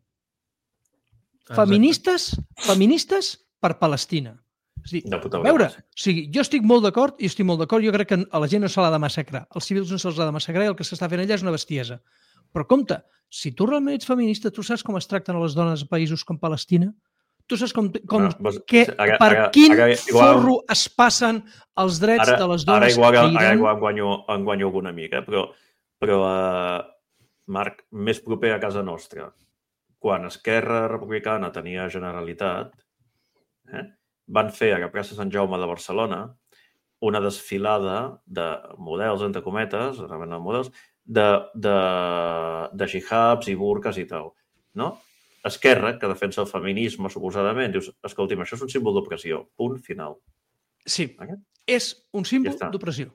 Feministes per Palestina. A veure, jo estic molt d'acord, jo crec que a la gent no se l'ha de massacrar. Als civils no se'ls ha de massacrar i el que s'està fent allà és una bestiesa. Però compte, si tu realment ets feminista, tu saps com es tracten a les dones a països com Palestina? Tu saps per quin forro es passen els drets de les dones a Iran? Ara igual en guanyo alguna mica, però Marc, més proper a casa nostra, quan Esquerra Republicana tenia Generalitat, van fer a la plaça Sant Jaume de Barcelona una desfilada de models, entre cometes, de hijabs i burques i tal. Esquerra, que defensa el feminisme, suposadament, dius, escolti'm, això és un símbol d'opressió. Punt final. Sí, és un símbol d'opressió.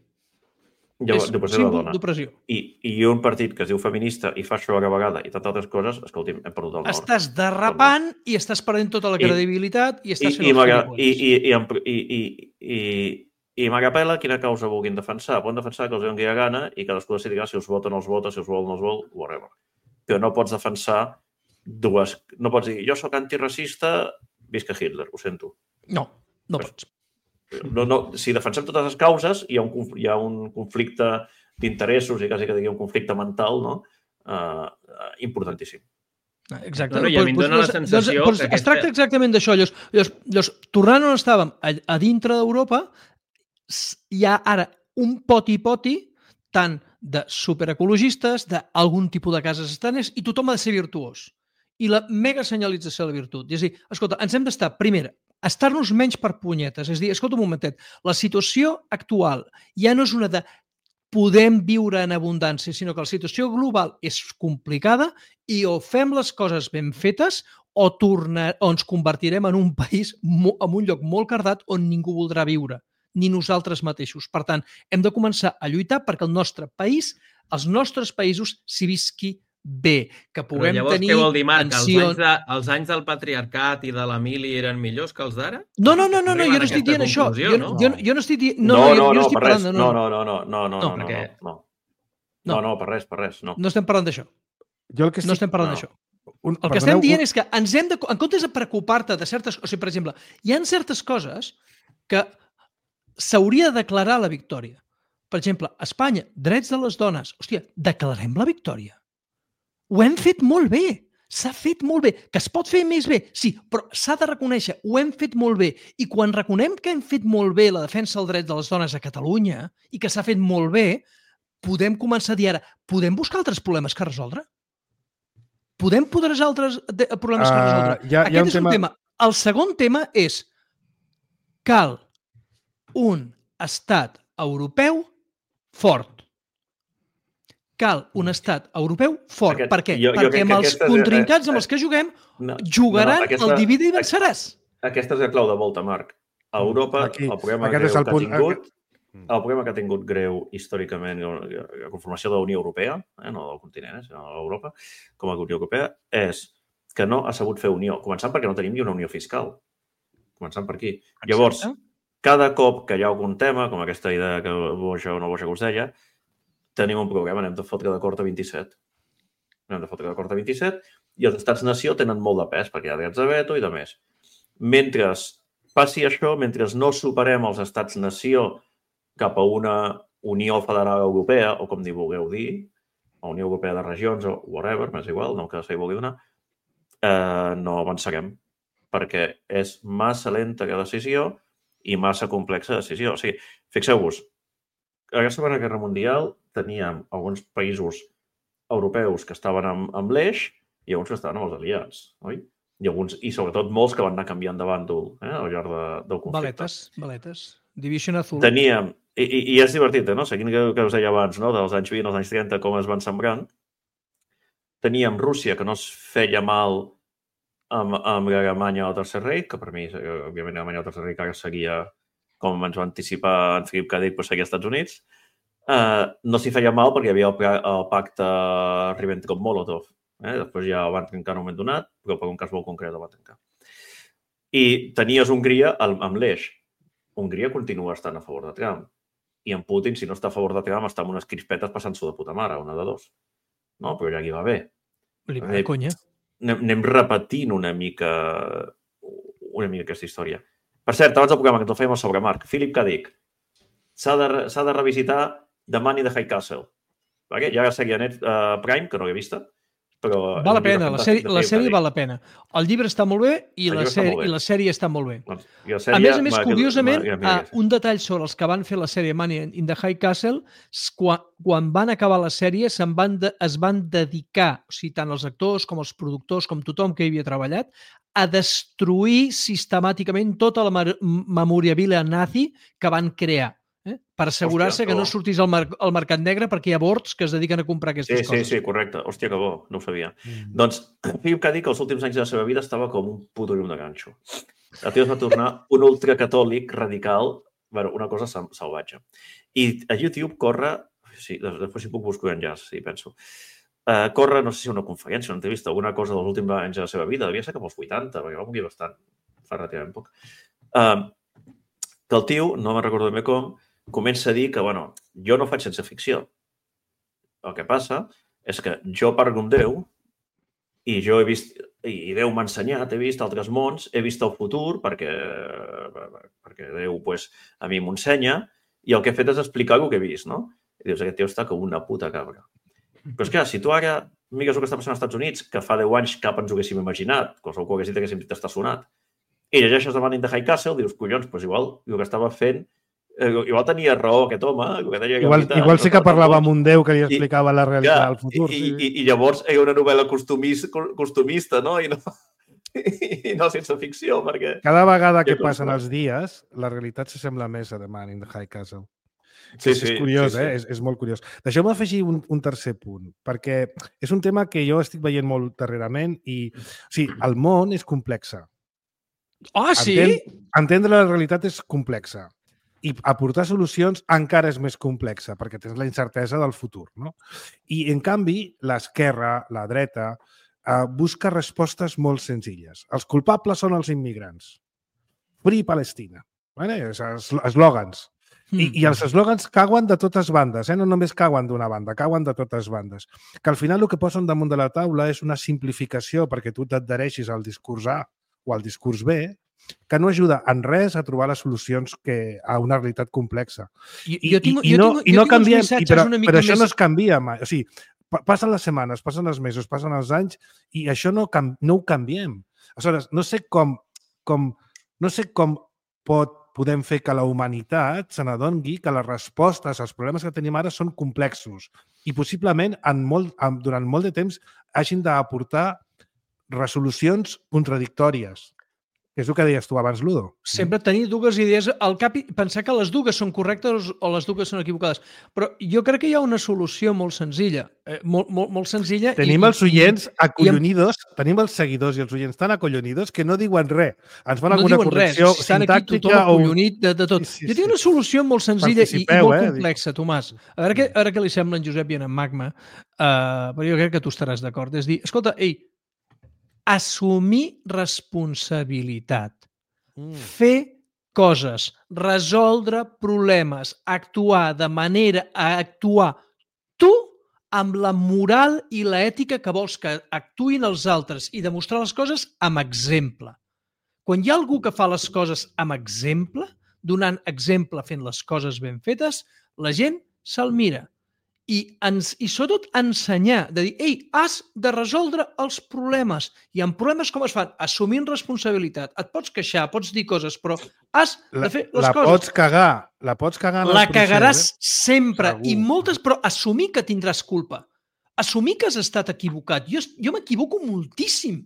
És un símbol d'opressió. I un partit que es diu feminista i fa això a la vegada i tantes altres coses, escolti'm, hem perdut el nord. Estàs derrapant i estàs perdent tota la credibilitat i estàs fent els gilipolles. I m'agapela quina causa vulguin defensar. Poden defensar que els doni la gana i cadascú decidirà si els vota o no els vota, si els vol o no els vol, whatever. Però no pots defensar dues... No pots dir, jo sóc antiracista, visca Hitler, ho sento. No pots. Si defensem totes les causes, hi ha un conflicte d'interessos i quasi que digui un conflicte mental importantíssim. Exacte. I a mi em dona la sensació que... Es tracta exactament d'això. Tornant on estàvem, a dintre d'Europa, hi ha ara un poti-poti tant de superecologistes, d'algun tipus de cases estanes, i tothom ha de ser virtuós. I la mega senyalització de la virtut. És a dir, escolta, ens hem d'estar, primera, estar-nos menys per punyetes. És a dir, escolta un momentet, la situació actual ja no és una de podem viure en abundància, sinó que la situació global és complicada i o fem les coses ben fetes o ens convertirem en un país, en un lloc molt cardat on ningú voldrà viure, ni nosaltres mateixos. Per tant, hem de començar a lluitar perquè el nostre país, els nostres països s'hi visqui bé, que puguem tenir... Però llavors què vol dir, Marc? Els anys del patriarcat i de la mili eren millors que els d'ara? No, jo no estic dient això. Jo no estic dient... No, per res. No, per res. No estem parlant d'això. No estem parlant d'això. El que estem dient és que ens hem de... En comptes de preocupar-te de certes... O sigui, per exemple, hi ha certes coses que s'hauria de declarar la victòria. Per exemple, a Espanya, drets de les dones. Hòstia, declarem la victòria. Ho hem fet molt bé. S'ha fet molt bé. Que es pot fer més bé? Sí, però s'ha de reconèixer. Ho hem fet molt bé. I quan reconem que hem fet molt bé la defensa del dret de les dones a Catalunya i que s'ha fet molt bé, podem començar a dir ara, podem buscar altres problemes que resoldre? Podem podrejar altres problemes que resoldre? Aquest és un tema. El segon tema és cal un estat europeu fort. Cal un estat europeu fort. Per què? Perquè amb els contrincants amb els que juguem jugaran el divide i venceràs. Aquesta és la clau de volta, Marc. A Europa, el problema que ha tingut greu històricament la conformació de la Unió Europea, no del continent, sinó de l'Europa, com a Unió Europea, és que no ha sabut fer unió. Començant perquè no tenim ni una unió fiscal. Començant per aquí. Llavors, cada cop que hi ha algun tema, com aquesta idea que boja o no boja que us deia, tenim un problema, anem de fotre d'acord a 27. I els estats-nació tenen molt de pes, perquè hi ha drets de veto i de més. Mentre passi això, mentre no superem els estats-nació cap a una Unió Federal Europea, o com vulgueu dir, o Unió Europea de Regions, o whatever, m'és igual, no que se hi vulgui donar, no avançarem, perquè és massa lenta la decisió i massa complexa decisió. O sigui, fixeu-vos, a la Segona Guerra Mundial teníem alguns països europeus que estaven amb l'eix i alguns que estaven amb els aliats, oi? I sobretot molts que van anar canviant de bàndol al llarg del conflicte. Valetes. Division Azul. Teníem, i és divertit, no? Seguint que us deia abans, no? Dels anys 20 als anys 30, com es van sembrant, teníem Rússia, que no es feia mal amb l'Alemanya al Tercer Reich, que per mi, òbviament, l'Alemanya al Tercer Reich ara seguia, com ens va anticipar en Philip K. Dick, però seguia als Estats Units. No s'hi feia mal perquè hi havia el pacte Ribbentrop-Molotov. Després ja el van trencar en un moment donat, però per un cas molt concret el van trencar. I tenies Hongria amb l'eix. Hongria continua estant a favor de Trump. I en Putin, si no està a favor de Trump, està amb unes crispetes passant-s'ho de puta mare, una de dos. No, però ja aquí va bé. Conya. Anem repetint una mica aquesta història. Per cert, abans del programa que ens el fèiem sobre Marc, Philip K. Dick, s'ha de revisitar The Man in the High Castle. Ja la sèrie Prime, que no l'he vista, però... Val la pena, la sèrie val la pena. El llibre està molt bé i la sèrie està molt bé. A més, curiosament, un detall sobre els que van fer la sèrie Man in the High Castle, quan van acabar la sèrie es van dedicar, o sigui, tant els actors com els productors, com tothom que hi havia treballat, a destruir sistemàticament tota la memorabilia nazi que van crear. Per assegurar-se que no sortís al mercat negre perquè hi ha bords que es dediquen a comprar aquestes coses. Sí, correcte. Hòstia, que bo, no ho sabia. Doncs, Philip K. Dick, els últims anys de la seva vida estava com un puto llum de ganxo. El tio es va tornar un ultracatòlic radical, una cosa salvatge. I a YouTube corre, després si puc buscar enllaç, sí, penso, corre, no sé si una conferència, una entrevista, alguna cosa dels últims anys de la seva vida, devia ser cap als 80, perquè va morir bastant, fa relativament poc. Que el tio, no me'n recordo ben bé com, comença a dir que, jo no faig ciència ficció. El que passa és que jo parlo amb Déu i jo he vist, i Déu m'ha ensenyat, he vist altres mons, he vist el futur perquè Déu a mi m'ensenya i el que he fet és explicar el que he vist, no? I dius, aquest tio està com una puta cabra. Però és clar, si tu ara mires el que està passant als Estats Units, que fa 10 anys cap ens ho haguéssim imaginat, qualsevol que ho hagués dit haguéssim dit està sonat, i llegeixes The Man in the High Castle, dius, collons, igual el que estava fent igual tenia raó aquest home. Igual sí que parlava amb un déu que li explicava la realitat del futur. I llavors era una novel·la costumista, no? I no sense ficció, perquè... Cada vegada que passen els dies, la realitat s'assembla més a The Man in the High Castle. És curiós, és molt curiós. Deixeu-me afegir un tercer punt, perquè és un tema que jo estic veient molt darrerament i, el món és complex. Sí? Entendre la realitat és complexa. I aportar solucions encara és més complexa, perquè tens la incertesa del futur, no? I, en canvi, l'esquerra, la dreta, busca respostes molt senzilles. Els culpables són els immigrants. Free Palestina. Eslògans. I els eslògans cauen de totes bandes, no només cauen d'una banda, cauen de totes bandes. Que al final el que posen damunt de la taula és una simplificació perquè tu t'adhereixis al discurs A o al discurs B, que no ajuda en res a trobar les solucions a una realitat complexa. I no canviem, però això no es canvia mai. O sigui, passen les setmanes, passen els mesos, passen els anys i això no ho canviem. Aleshores, no sé com podem fer que la humanitat se n'adoni que les respostes als problemes que tenim ara són complexos i possiblement durant molt de temps hagin d'aportar resolucions contradictòries. És el que deies tu abans, Ludo. Sempre tenir dues idees al cap i pensar que les dues són correctes o les dues són equivocades. Però jo crec que hi ha una solució molt senzilla. Molt senzilla. Tenim els oients acollonidos, tenim els seguidors i els oients tan acollonidos que no diuen res. Ens fan alguna correcció sintàctica. Estan aquí tothom acollonit de tot. Jo tinc una solució molt senzilla i molt complexa, Tomàs. A veure què li sembla en Josep i en Magma, però jo crec que tu estaràs d'acord. És dir, escolta, assumir responsabilitat, fer coses, resoldre problemes, actuar de manera a actuar tu amb la moral i l'ètica que vols que actuïn els altres i demostrar les coses amb exemple. Quan hi ha algú que fa les coses amb exemple, donant exemple fent les coses ben fetes, la gent se'l mira. I sobretot ensenyar, de dir, has de resoldre els problemes. I en problemes com es fan? Assumint responsabilitat. Et pots queixar, pots dir coses, però has de fer les coses. La pots cagar en el procés. La cagaràs sempre. I moltes, però assumir que tindràs culpa. Assumir que has estat equivocat. Jo m'equivoco moltíssim.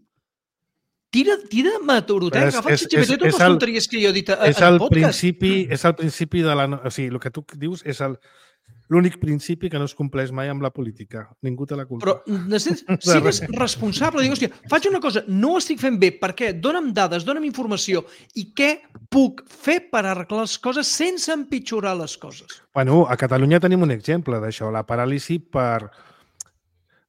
tira meteoroteca, agafa el ChatGPT totes les tonteries que jo he dit al podcast. És el principi de la... O sigui, el que tu dius és l'únic principi que no es compleix mai amb la política. Ningú té la culpa. Però sigues responsable. Dic, hòstia, faig una cosa, no ho estic fent bé. Per què? Dóna'm dades, dóna'm informació. I què puc fer per arreglar les coses sense empitjorar les coses? Bueno, a Catalunya tenim un exemple d'això, la paràlisi per...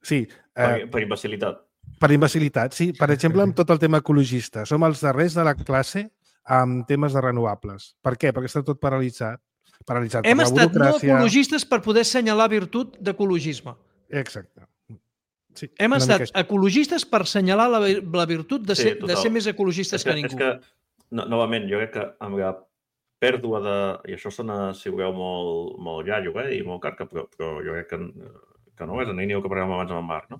Sí. Per imbecilitat. Per imbecilitat, sí. Per exemple, amb tot el tema ecologista. Som els darrers de la classe amb temes de renovables. Per què? Perquè està tot paralitzat. Hem estat no ecologistes per poder assenyalar virtut d'ecologisme. Exacte. Sí, hem estat ecologistes per assenyalar la virtut de ser més ecologistes que ningú. És que, novament, jo crec que amb la pèrdua de... I això sona, si ho veu, molt iaio i molt carca, però jo crec que no és en línia que parlàvem abans amb en Marc. No?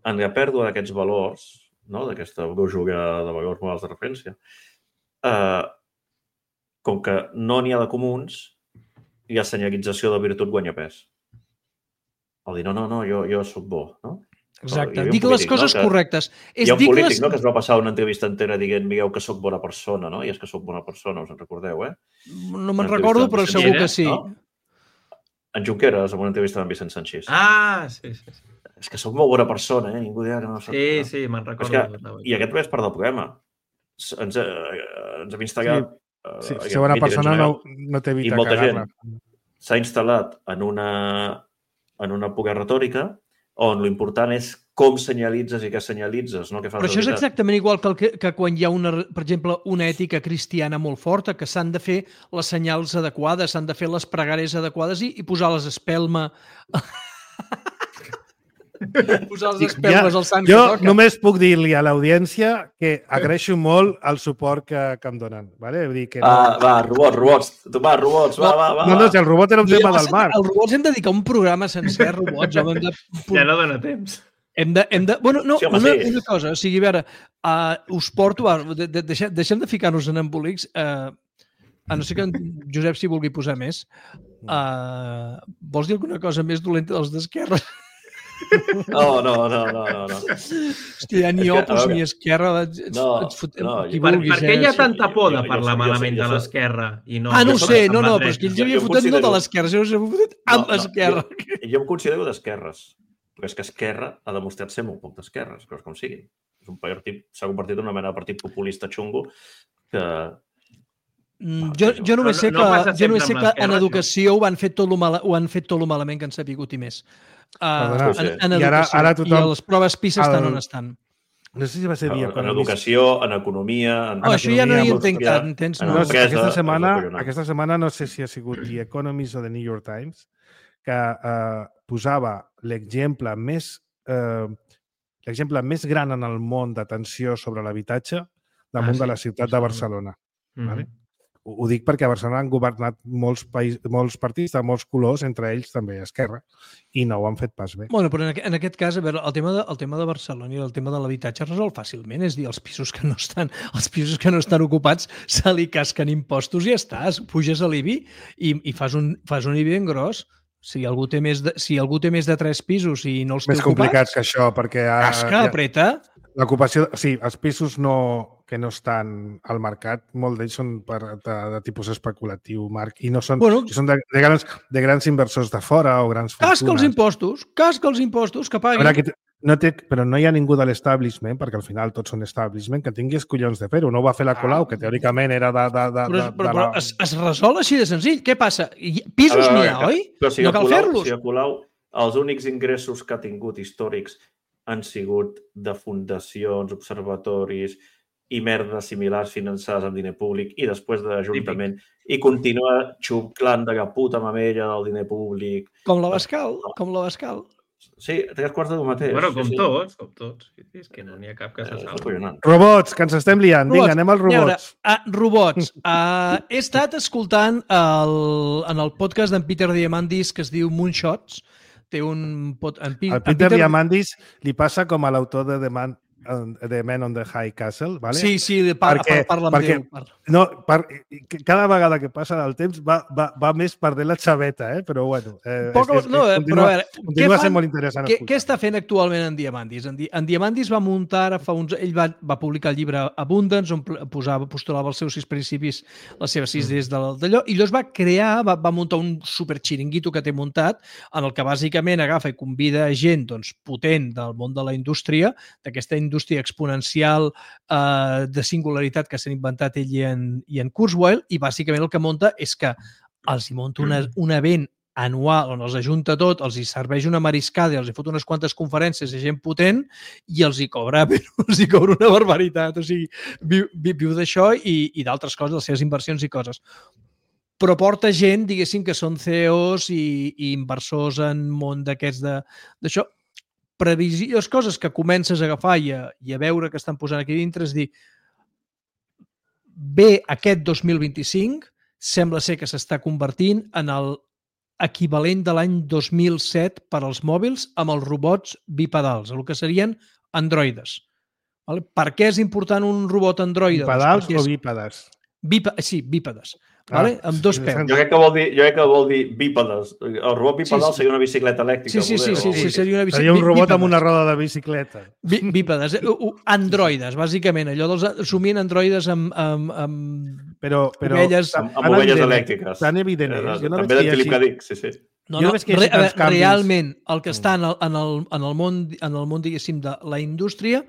En la pèrdua d'aquests valors, d'aquesta brújula de valors morals de referència, com que no n'hi ha de comuns, i la senyalització de virtut guanya pes. El dir, no, jo soc bo, no? Exacte, dic les coses correctes. Hi ha un polític que es va passar una entrevista entera dient, mireu que soc bona persona, no? I és que soc bona persona, us en recordeu, No me'n recordo, però segur que sí. En Junqueras, en una entrevista amb Vicent Sanchís. Ah, sí. És que soc molt bona persona, ningú dirà que no soc... Sí, me'n recordo. I aquest és part del problema. Ens hem instal·lat... Sí, ser bona persona no t'evita cagar-la. S'ha instal·lat en una poca retòrica on l'important és com senyalitzes i què senyalitzes, no què fas. Però això és exactament igual que quan hi ha, per exemple, una ètica cristiana molt forta, que s'han de fer les senyals adequades, s'han de fer les pregàries adequades i posar les espelma... posar les espelmes al sant que toca. Jo només puc dir-li a l'audiència que agraeixo molt el suport que em donen. Vale? Vull dir que robots. Robots, va. No, si el robot era un tema del Marc. Els robots hem de dedicar un programa sencer a robots. Ja no dona temps. Bueno, no, una cosa, o sigui, a veure, us porto, deixem de ficar-nos en embolics, a no ser que en Josep s'hi vulgui posar més. Vols dir alguna cosa més dolenta dels d'Esquerra? No. Hòstia, ni Opus ni Esquerra. Per què hi ha tanta por de parlar malament de l'Esquerra? No ho sé, però és que ells havien fotut no de l'Esquerra, sinó que s'havien fotut amb l'Esquerra. Jo em considero d'esquerres, però és que Esquerra ha demostrat ser molt poc d'esquerres, però com sigui. S'ha convertit en una mena de partit populista xungo que... Jo només sé que en educació ho han fet tot lo malament que han sapigut i més. En educació. I les proves PISA estan on estan. No sé si va ser en educació, en economia... Això ja no hi entenc tant, entens? Aquesta setmana no sé si ha sigut The Economist o The New York Times que posava l'exemple més gran en el món d'atenció sobre l'habitatge damunt de la ciutat de Barcelona. Vale? Ho dic perquè a Barcelona han governat molts partits de molts colors, entre ells també Esquerra, i no ho han fet pas bé. Bueno, però en aquest cas, a veure, el tema de Barcelona i el tema de l'habitatge es resol fàcilment, és dir, els pisos que no estan ocupats se li casquen impostos i ja està, puges a l'IBI i fas un IBI ben gros. Si algú té més de 3 pisos i no els té ocupats... Més complicat que això, perquè... Casca, apreta... L'ocupació, sí, els pisos que no estan al mercat, molt d'ells són de tipus especulatiu, Marc, i no són, són de grans inversors de fora o grans fortunes. Casca els impostos, que paguin. Però no hi ha ningú de l'establishment, perquè al final tots són establishment, que tingui els collons de fer-ho. No ho va fer la Colau, que teòricament era Però es resol així de senzill. Què passa? Pisos n'hi ha, oi? No cal fer-los. Si a Colau els únics ingressos que ha tingut històrics han sigut de fundacions, observatoris i merdes similars finançades amb diner públic i després de l'Ajuntament i continua xuclant de la puta mamella del diner públic. Com la Bascal. Sí, 3/4 del mateix. Bueno, com tots. És que no n'hi ha cap que se salvi. Robots, que ens estem liant. Vinga, anem als robots. Robots. He estat escoltant en el podcast d'en Peter Diamandis que es diu Moonshots. El Peter Diamandis li passa com a l'autor de The Man on the High Castle, ¿vale? Sí, parla amb Déu. No, cada vegada que passa el temps va més perdent la xaveta, però bueno. Continua sent molt interessant. Què està fent actualment en Diamandis? En Diamandis va muntar ara ell va publicar el llibre Abundance, on postulava els seus 6 principis, les seves 6 idees d'allò, i llavors va muntar un superxiringuito que té muntat, en el que bàsicament agafa i convida gent potent del món de la indústria, d'aquesta indústria exponencial de singularitat que s'han inventat ell i en Kurzweil, i bàsicament el que munta és que els hi munta un event anual on els ajunta tot, els hi serveix una mariscada i els hi fot unes quantes conferències de gent potent i els hi cobra una barbaritat. O sigui, viu d'això i d'altres coses, les seves inversions i coses. Però porta gent, diguéssim, que són CEOs i inversors en món d'aquests d'això. Previsions, coses que comences a agafar i a veure que estan posant aquí dintre, és dir, bé, aquest 2025 sembla ser que s'està convertint en l'equivalent de l'any 2007 per als mòbils amb els robots bipedals, el que serien androides. Per què és important un robot androide? Bipedals o bípedes? Sí, bípedes. Amb 2 peus. Jo crec que vol dir bípedes. El robot bipedal seria una bicicleta elèctrica. Sí, seria una bicicleta. Seria un robot amb una roda de bicicleta. Bípedes. Androides, bàsicament. Allò somien androides amb ovelles... Amb ovelles elèctriques. Tan evident és. També de Philip K. Dick, sí. Realment, el que està en el món, diguéssim, de la indústria,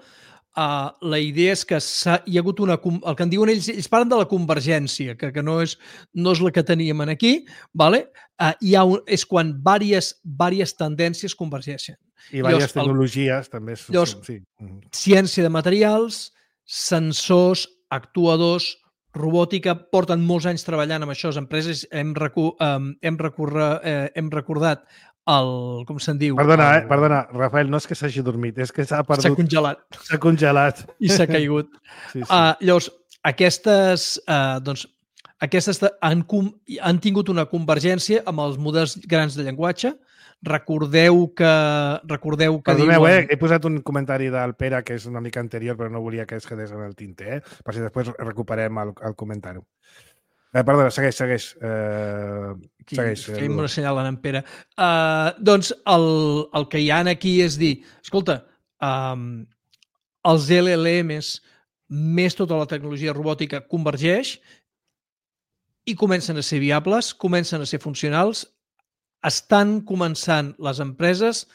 la idea és que hi ha hagut el que en diuen ells parlen de la convergència, que no és la que teníem aquí, és quan diverses tendències convergeixen. I diverses tecnologies també. Ciència de materials, sensors, actuadors, robòtica, porten molts anys treballant amb això. Les empreses hem recordat com se'n diu? Perdona, Rafael, no és que s'hagi dormit, és que s'ha perdut. S'ha congelat. S'ha congelat. I s'ha caigut. Llavors, aquestes han tingut una convergència amb els models grans de llenguatge. Recordeu que Perdoneu, he posat un comentari del Pere que és una mica anterior, però no volia que es quedés en el tinter, per si després recuperem el comentari. Perdona, segueix. Feim una senyal en Pere. Doncs el que hi ha aquí és dir, escolta, els LLMs més tota la tecnologia robòtica convergeix i comencen a ser viables, comencen a ser funcionals, estan començant les empreses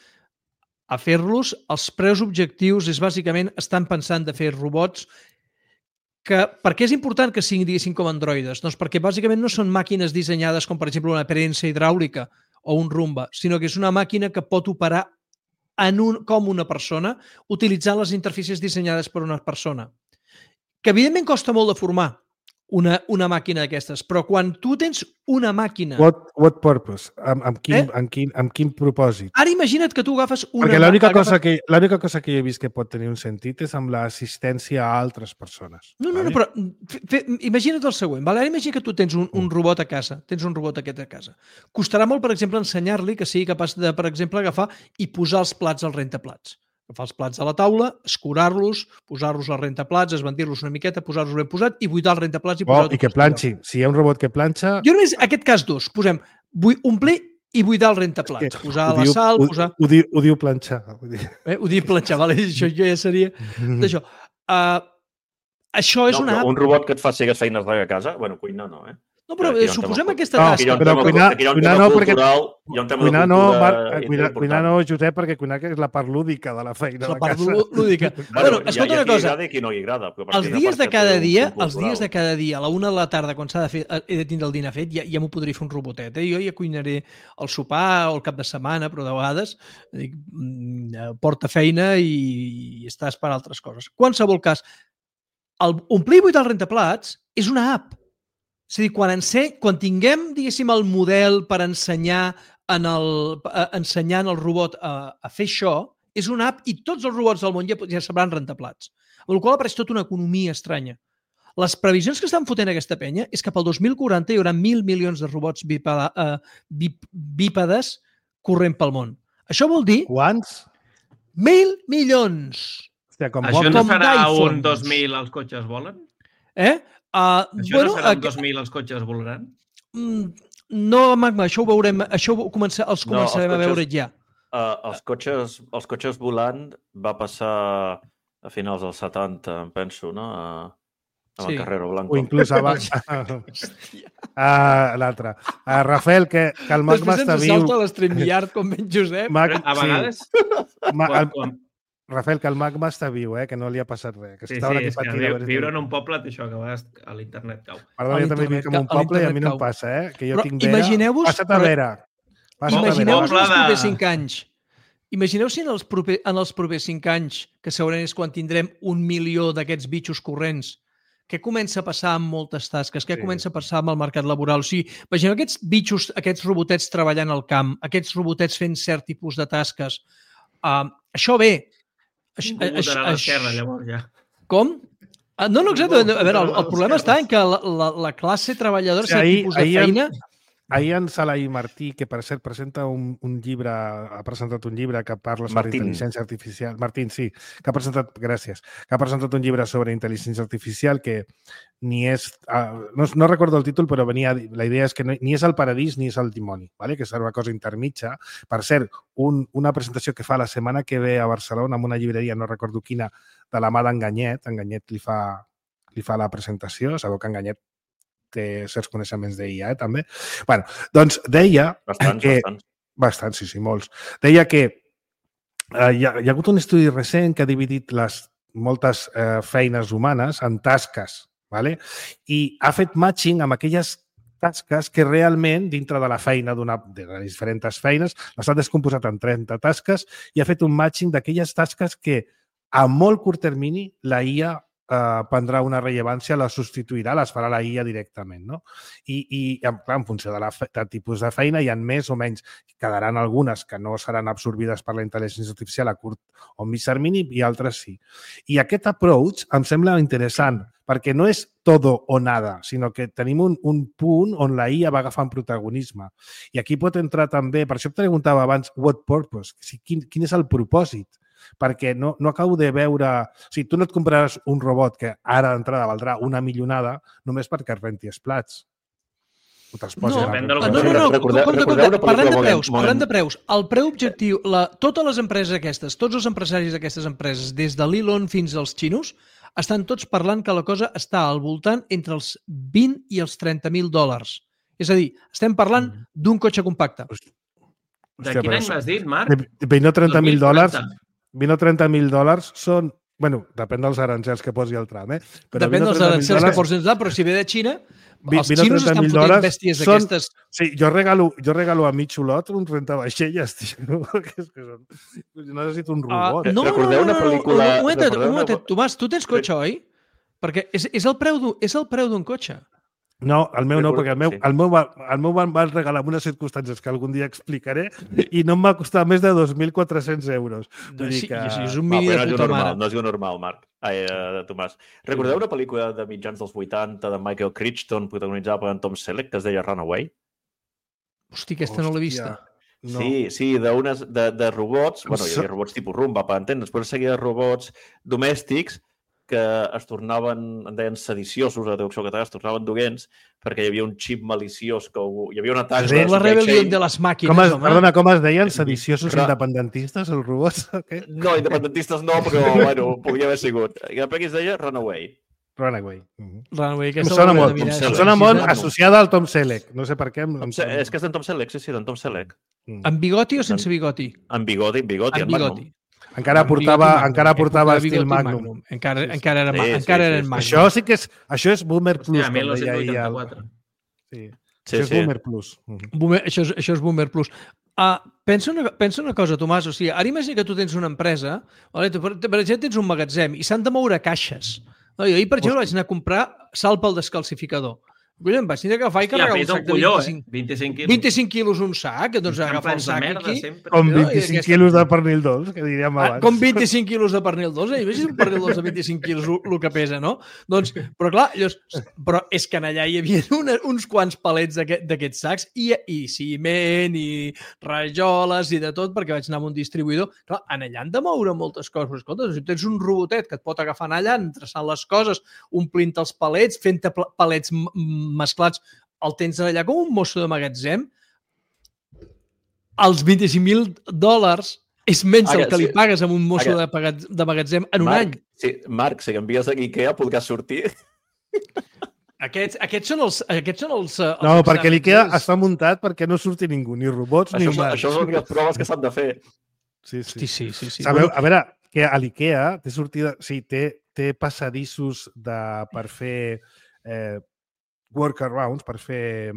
a fer-los. Els preus objectius és bàsicament estan pensant de fer robots per què és important que siguin, diguéssim, com androides? Doncs perquè bàsicament no són màquines dissenyades com, per exemple, una prensa hidràulica o un Roomba, sinó que és una màquina que pot operar com una persona utilitzant les interfícies dissenyades per una persona. Que evidentment costa molt de formar una màquina d'aquestes, però quan tu tens una màquina... What purpose? Amb quin propòsit? Ara imagina't que tu agafes una... Perquè l'única cosa que he vist que pot tenir un sentit és amb l'assistència a altres persones. No, però imagina't el següent. Ara imagina que tu tens un robot a casa, tens un robot aquest a casa. Costarà molt, per exemple, ensenyar-li que sigui capaç de, per exemple, agafar i posar els plats al rentaplats. Agafar els plats a la taula, escurar-los, posar-los al rentaplats, esbandir-los una miqueta, posar-los ben posat i buidar els rentaplats i posar-los... I que planxi. Si hi ha un robot que planxa... Jo només, aquest cas 2, posem omplir i buidar el rentaplats. Posar la sal, posar... Ho diu planxar. Ho diu planxar, vale? Això ja seria... D'això. Això és una app... Un robot que et faci aquestes feines de casa, bueno, cuinar no, No, però suposem aquesta tasca. Però cuinar no, Josep, perquè cuinar és la part lúdica de la feina. La part lúdica. Bueno, escolta una cosa. Els dies de cada dia, a la 1 de la tarda, quan s'ha de fer, he de tindre el dinar fet, ja m'ho podria fer un robotet. Jo ja cuinaré el sopar o el cap de setmana, però de vegades porta feina i estàs per altres coses. Qualsevol cas, omplir i buidar el rentaplats és una app. És a dir, quan tinguem, diguéssim, el model per ensenyar ensenyant el robot a fer això, és una app i tots els robots del món ja sabran rentaplats. Amb la qual cosa apareix tota una economia estranya. Les previsions que estan fotent aquesta penya és que pel 2040 hi haurà 1.000 milions de robots bípedes corrent pel món. Això vol dir... Quants? 1.000 milions! Hòstia, com Això Walkman. no Com serà un d'iPhones. 2000 els cotxes volen? Això no serà un 2000 els cotxes volaran? No, Magma, això ho veurem, els començarem a veure ja. Els cotxes volant va passar a finals dels 70, em penso, no? Amb el Carrero Blanco. O inclús abans. L'altre. Rafael, que el Magma està viu. Després ens salta l'StreamYard com ben Josep. A vegades... Rafael, que el Magma està viu, que no li ha passat res. Que Sí, és que viure en un poble té això, que a vegades a l'internet cau. Perdó, jo també vic en un poble i a mi no em passa, que jo tinc vera. Imagineu-vos... Passa't a vera. Imagineu-vos els propers 5 anys. Imagineu si en els propers 5 anys, que segurament és quan tindrem 1 milió d'aquests bitxos corrents, què comença a passar amb moltes tasques? Què comença a passar amb el mercat laboral? O sigui, imagineu aquests bitxos, aquests robotets treballant al camp, aquests robotets fent cert tipus de tasques. Això bé. Votarà a l'esquerra, llavors, ja. Com? No, exacte. A veure, el problema està en que la classe treballadora, cert tipus de feina... Ahir en Salai Martí, que per cert presenta un llibre, ha presentat un llibre que parla sobre intel·ligència artificial. Martín, sí, que ha presentat, gràcies, que ha presentat un llibre sobre intel·ligència artificial que ni és, no recordo el títol, però venia, la idea és que ni és el paradís ni és el dimoni, ¿vale? Que és una cosa intermitja. Per cert, una presentació que fa la setmana que ve a Barcelona en una llibreria, no recordo quina, de la mà d'Enganyet. Enganyet li fa la presentació, sabeu que Enganyet té certs coneixements d'IA, també. Bueno, doncs deia... Bastants, sí, molts. Deia que hi ha hagut un estudi recent que ha dividit moltes feines humanes en tasques, ¿vale? I ha fet matching amb aquelles tasques que realment, dintre de la feina, de les diferents feines, les ha descomposat en 30 tasques i ha fet un matching d'aquelles tasques que a molt curt termini la IA prendrà una rellevància, la substituirà, les farà la IA directament, no? I clar, en funció del tipus de feina hi ha més o menys. Quedaran algunes que no seran absorbides per la intel·ligència artificial a curt o mig termini i altres sí. I aquest approach em sembla interessant perquè no és todo o nada, sinó que tenim un punt on la IA va agafant protagonisme. I aquí pot entrar també, per això et preguntava abans, what purpose? Quin és el propòsit? Perquè no acabo de veure... O sigui, tu no et compraràs un robot que ara d'entrada valdrà una milionada només perquè es renti els plats. Parlem de preus. El preu objectiu, totes les empreses aquestes, tots els empresaris d'aquestes empreses, des de l'Elon fins als xinos, estan tots parlant que la cosa està al voltant entre els 20 i els 30.000 dòlars. És a dir, estem parlant d'un cotxe compacte. De quin any m'has dit, Marc? 20 o 30.000 dòlars... 20 o 30.000 dòlars són... Bueno, depèn dels aranzels que posi el tram, Però depèn dels aranzels que posi el tram, però si ve de Xina, els xinos estan fotent bèsties d'aquestes. Sí, jo regalo a mi xulot un rentavaixelles, tio. No necessito un robot. Recordeu una pel·lícula... Un momentet, Tomàs, tu tens cotxe, oi? Perquè és el preu d'un cotxe. No, el meu no, perquè el meu van regalar en unes circumstàncies que algun dia explicaré i no em va costar més de 2.400 euros. Sí, és un mini de puta mare. No es diu normal, Marc. Tomàs. Recordeu una pel·lícula de mitjans dels 80 de Michael Crichton protagonitzada per en Tom Selleck que es deia Runaway? Hosti, aquesta no l'he vista. Sí, de robots. Bueno, hi havia robots tipus Roomba, per entendre's, però seguia robots domèstics que es tornaven, en deien sediciosos, a la traducció catalana, es tornaven dolents perquè hi havia un xip maliciós, hi havia un atac... La rebel·lió de les màquines, home. Perdona, com es deien? Sediciosos independentistes, els robots? No, independentistes no, però bueno, podria haver sigut. I la pel·li es deia Runaway. Runaway, que em sona molt associada al Tom Selleck. No sé per què. És que és d'en Tom Selleck, sí, d'en Tom Selleck. Amb bigoti o sense bigoti? Amb bigoti, en Magnum. Encara portava estil Magnum. Encara era Magnum. Això sí que és... Això és Boomer Plus. Hòstia, 1984. Sí. Això és Boomer Plus. Això és Boomer Plus. Pensa una cosa, Tomàs. O sigui, ara imagina que tu tens una empresa, per exemple, tens un magatzem i s'han de moure caixes. Jo ahir, per exemple, vaig anar a comprar sal pel descalcificador. Collons, vaig tenir que agafar i carregar un sac de 25. 25 quilos. 25 quilos un sac, doncs agafar el sac aquí. Com 25 quilos de pernil dolç, que diríem abans. Com 25 quilos de pernil dolç, imagina't un pernil dolç de 25 quilos el que pesa, no? Doncs, però clar, però és que allà hi havia uns quants palets d'aquests sacs i ciment i rajoles i de tot, perquè vaig anar amb un distribuïdor. Clar, allà han de moure moltes coses. Escolta, si tens un robotet que et pot agafar allà, entreçant les coses, omplint els palets, fent-te palets mesclats, el tens allà com un mosso de magatzem, els $25,000 és menys el que li pagues amb un mosso de magatzem en un any. Sí, Marc, si envies a IKEA podràs sortir. Aquests són els no, perquè l'IKEA està muntat perquè no surti ningú, ni robots ni humans. Això són les proves que s'han de fer. Sí. Sabeu, a veure, que a l'IKEA té sortida... Sí, té passadissos per fer workarounds, per fer...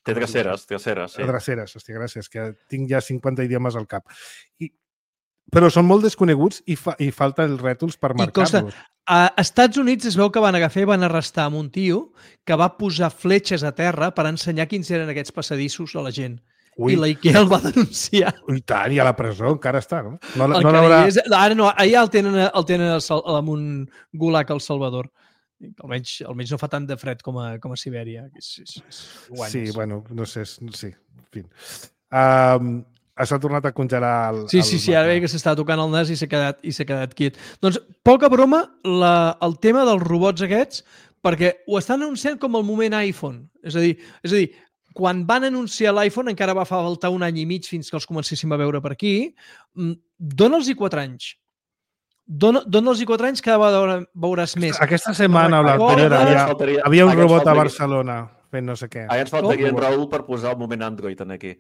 Té dreceres, sí. Dreceres, hòstia, gràcies, que tinc ja 50 idiomes al cap. Però són molt desconeguts i falta els rètols per marcar-los. A Estats Units es veu que van agafar i van arrestar un tio que va posar fletxes a terra per ensenyar quins eren aquests passadissos a la gent. I la IKEA el va denunciar. I tant, i a la presó encara està, no? Ara no, allà el tenen amb un gulag al Salvador. Almenys no fa tant de fred com a Sibèria. Sí, bueno, no sé, sí, en fi. S'ha tornat a congelar Sí, ara veia que s'estava tocant el nas i s'ha quedat quiet. Doncs, poca broma, el tema dels robots aquests, perquè ho estan anunciant com el moment iPhone. És a dir, quan van anunciar l'iPhone encara va faltar un any i mig fins que els comencéssim a veure per aquí. Dóna'ls-hi 4 anys. Dóna'ls-hi 4 anys, cada vegada veuràs més. Aquesta setmana o l'anterior havia un robot a Barcelona fent no sé què. Ara ens faltaria en Raül per posar el moment Android aquí.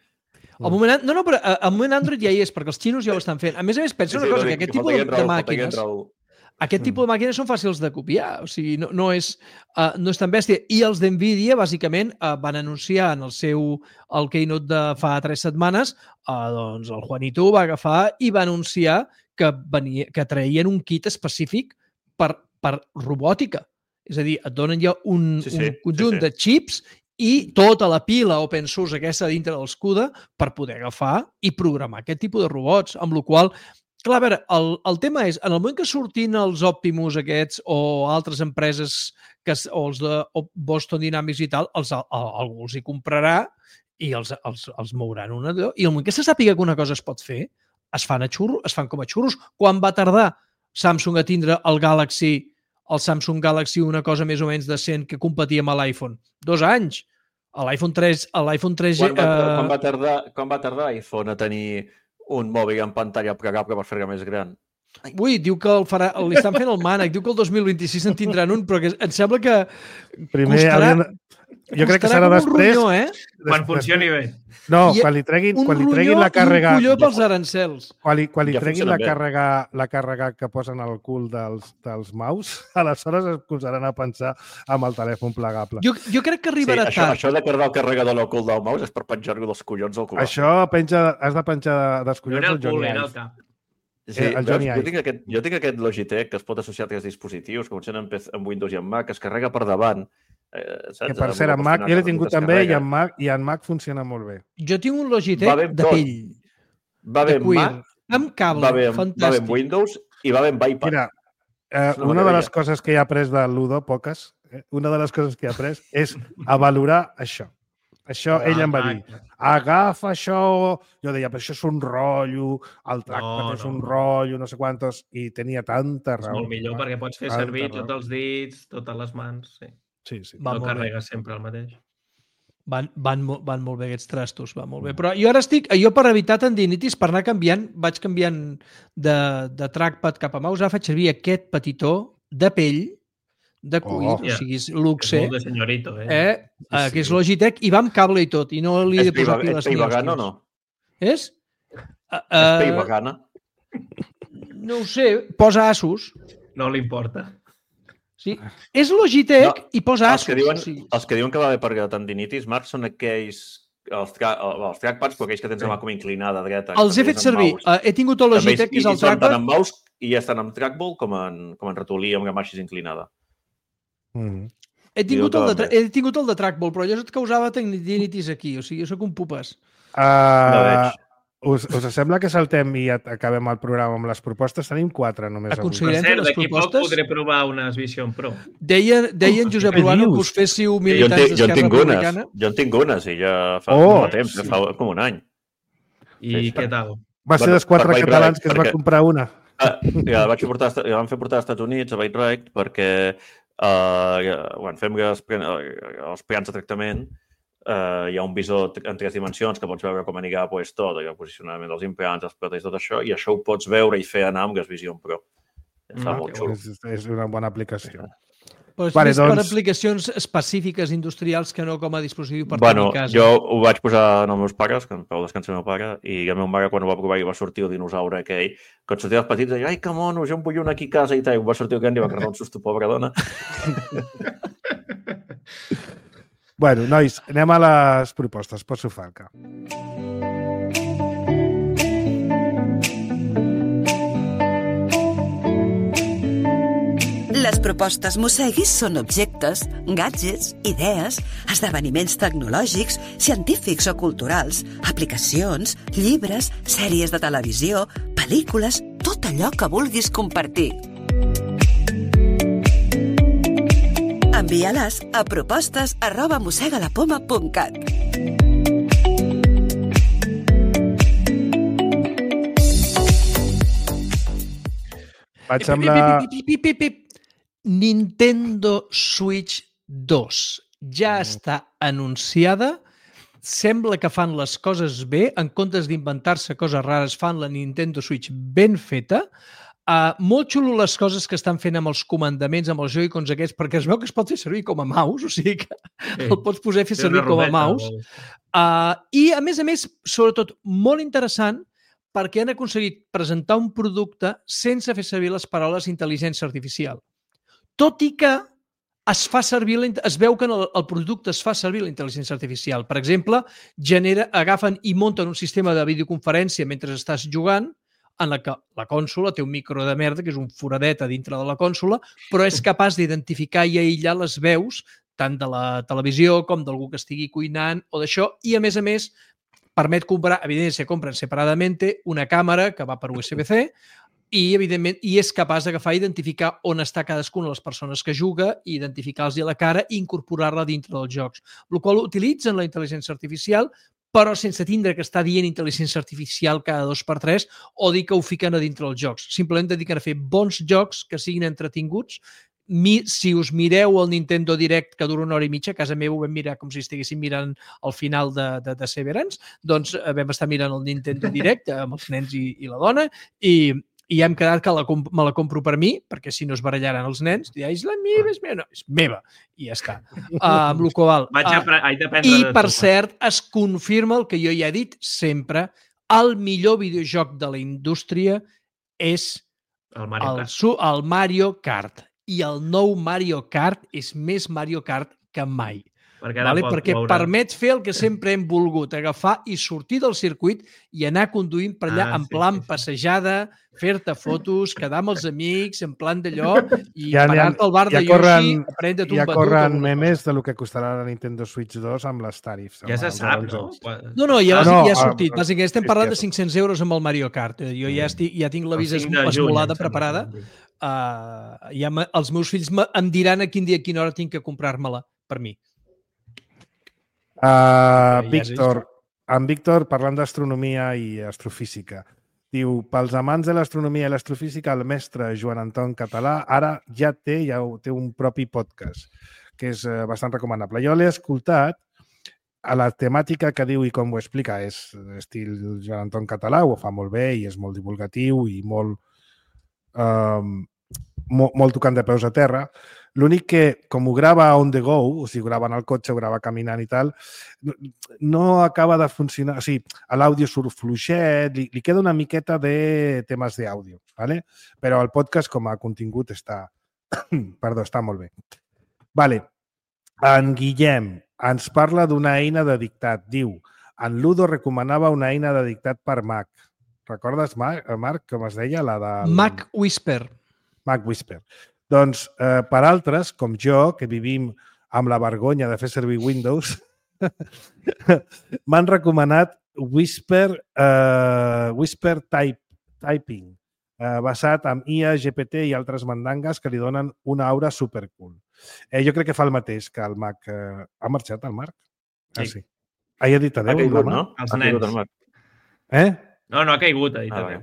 Però el moment Android ja hi és, perquè els xinos ja ho estan fent. A més, pensa una cosa, que aquest tipus de màquines... Aquest tipus de màquines són fàcils de copiar, o sigui, no és tan bèstia. I els d'NVIDIA, bàsicament, van anunciar en el keynote de fa 3 setmanes, doncs el Juanito va agafar i va anunciar que traien un kit específic per robòtica. És a dir, et donen ja un conjunt de xips i tota la pila open source aquesta dintre del CUDA per poder agafar i programar aquest tipus de robots, amb la qual cosa, clar, a veure, el tema és, en el moment que sortin els Optimus aquests o altres empreses, o els de Boston Dynamics i tal, algú els hi comprarà i els mouran una d'allò. I el moment que se sàpiga que una cosa es pot fer, es fan com a xurros. Quan va tardar Samsung a tindre el Samsung Galaxy una cosa més o menys decent que competia amb l'iPhone? 2 anys. L'iPhone 3G... Quan va tardar l'iPhone a tenir un mòbil en pantalla plegable per fer-lo més gran? Ui, diu que li estan fent el mànec, diu que el 2026 en tindran un, però que em sembla que costarà... Jo crec que serà després... Quan funcioni bé. No, quan li treguin la càrrega... Un colló pels arancels. Quan li treguin la càrrega que posen al cul dels mouse, aleshores es posaran a pensar amb el telèfon plegable. Jo crec que arribarà tard. Això de carregar el carregador al cul del mouse és per penjar-lo dels collons al cul. Això has de penjar dels collons al Johnny Ive. Sí, jo tinc aquest Logitech que es pot associar a 3 dispositius, que funcionen amb Windows i amb Mac, que es carrega per davant. Que per cert, en Mac, jo l'he tingut també i en Mac funciona molt bé. Jo tinc un Logitech de pell. Va bé amb Mac, amb cable, fantàstic. Va bé amb Windows i va bé amb iPad. Mira, una de les coses que he après de Ludo, poques, una de les coses que he après és a valorar això. Això ell em va dir, agafa això, jo deia, però això és un rotllo, el trackpad és un rotllo, no sé quantos, i tenia tanta raó. És molt millor perquè pots fer servir tots els dits, totes les mans, sí. Sí. No carregues sempre el mateix. Van molt bé aquests trastos, va molt bé. Però jo ara jo per evitar tendinitis, per anar canviant, vaig canviant de trackpad cap a mouse, ara faig servir aquest petitó de pell, de cuir, o sigui, és luxe, és molt de senyorito, que és Logitech, i va amb cable i tot, i no li he de posar piles. És pell vegana o no? És? És pell vegana? No ho sé, posa Asus. No li importa. Sí. És Logitech i posa Asus. Els que diuen que va bé per tendinitis, Marc, són aquells els trackpads, però aquells que tens la mà com inclinada dreta. Els he fet servir. He tingut el Logitech, que és el trackpad. I són tant en mouse i estan en trackball com en ratolí amb la mà així inclinada. He tingut el de Trackball, però allò et causava tendinitis aquí, o sigui, jo soc un pupes. Us sembla que saltem i acabem el programa amb les propostes? Tenim 4 només avui. Per cert, d'aquí poc podré provar unes Vision Pro. Deien Josep Ruano que us féssiu militants d'Esquerra Republicana. Jo en tinc unes i ja fa temps, fa com un any. I què tal? Va ser dels 4 catalans que es va comprar una. Ja la vam fer portar als Estats Units, a Byte Right, perquè fem els plans de tractament. Hi ha un visor en 3 dimensions que pots veure com anirà tot, el posicionament dels implants, els plats i tot això, i això ho pots veure i fer anar amb Gas Vision Pro. Està molt xulo. És una bona aplicació. Però és més per aplicacions específiques industrials que no com a dispositiu per tenir a casa. Jo ho vaig posar als meus pares, que em vau descansar el meu pare, i el meu mare, quan ho va provar, i va sortir el dinosaure aquell, quan sortia els petits, deia, ai, que mono, jo em vull un aquí a casa, i tal, va sortir el gran i va quedar un susto, pobra dona. Bueno, nois, anem a les propostes. Pots Falca. Les propostes Mosseguis són objectes, gadgets, idees, esdeveniments tecnològics, científics o culturals, aplicacions, llibres, sèries de televisió, pel·lícules, tot allò que vulguis compartir. Envia-les a propostes@mossegalapoma.cat. Vaig amb la... Nintendo Switch 2 ja està anunciada. Sembla que fan les coses bé. En comptes d'inventar-se coses rares, fan la Nintendo Switch ben feta. Molt xulo les coses que estan fent amb els comandaments, amb els Joy-Cons aquests, perquè es veu que es pot fer servir com a mouse, o sigui que el pots posar a fer servir com a mouse. I, a més, sobretot, molt interessant, perquè han aconseguit presentar un producte sense fer servir les paraules intel·ligència artificial. Tot i que es veu que el producte es fa servir la intel·ligència artificial. Per exemple, agafen i munten un sistema de videoconferència mentre estàs jugant, en la que la consola té un micro de merda, que és un foradet a dintre de la consola, però és capaç d'identificar i aïllar les veus, tant de la televisió com d'algú que estigui cuinant o d'això, i a més, permet comprar, evidentment, se compren separadament, una càmera que va per USB-C i, evidentment, és capaç d'agafar i identificar on està cadascuna de les persones que juga, identificar-los a la cara i incorporar-la dintre dels jocs. El qual utilitzen la intel·ligència artificial, però sense tindre que estar dient intel·ligència artificial cada 2x3 o dir que ho fiquen a dintre dels jocs. Simplement dediquen a fer bons jocs que siguin entretinguts. Si us mireu el Nintendo Direct, que dura 1 hora i mitja, a casa meva ho vam mirar com si estiguéssim mirant el final de Severance, doncs vam estar mirant el Nintendo Direct amb els nens i la dona i hem quedat que me la compro per mi, perquè si no es barallaran els nens, és la meva, és meva. No, és meva. I ja està. Amb el qual, I, per cert, es confirma el que jo ja he dit sempre, el millor videojoc de la indústria és el Mario Kart. I el nou Mario Kart és més Mario Kart que mai. Perquè permet fer el que sempre hem volgut, agafar i sortir del circuit i anar conduint per allà en plan passejada, fer-te fotos, quedar amb els amics, en plan d'allò, i parar-te al bar de Yoshi, prendre't un batut. Ja corren memes de lo que costarà la Nintendo Switch 2 amb les tarifs. Ja se sap, no? No, ja ha sortit. Bàsicament estem parlant de 500 euros amb el Mario Kart. Jo ja tinc la visa esmolada, preparada. Els meus fills em diran a quin dia, a quina hora tinc que comprar-me-la per mi. En Víctor, parlant d'astronomia i astrofísica, diu, pels amants de l'astronomia i l'astrofísica, el mestre Joan Anton Català ara ja té un propi podcast, que és bastant recomanable. Jo l'he escoltat, a la temàtica que diu i com ho explica és estil Joan Anton Català, ho fa molt bé i és molt divulgatiu i molt tocant de peus a terra. L'únic que, com ho grava on the go, o sigui, grava en el cotxe, ho grava caminant i tal, no acaba de funcionar. O sigui, l'àudio surt fluixet, li queda una miqueta de temes d'àudio, ¿vale? Però el podcast com a contingut està molt bé. Vale. En Guillem ens parla d'una eina de dictat. Diu, en Ludo recomanava una eina de dictat per Mac. Recordes, Marc, com es deia? La de... Mac Whisper. Mac Whisper. Doncs, per altres, com jo, que vivim amb la vergonya de fer servir Windows, m'han recomanat Whisper Typing, basat en IA, GPT i altres mandangues que li donen una aura supercool. Jo crec que fa el mateix que el Mac. Ha marxat el Marc? Ah, sí. Ha dit adéu? Ha caigut, no? Els nens. No ha caigut, ha dit adéu.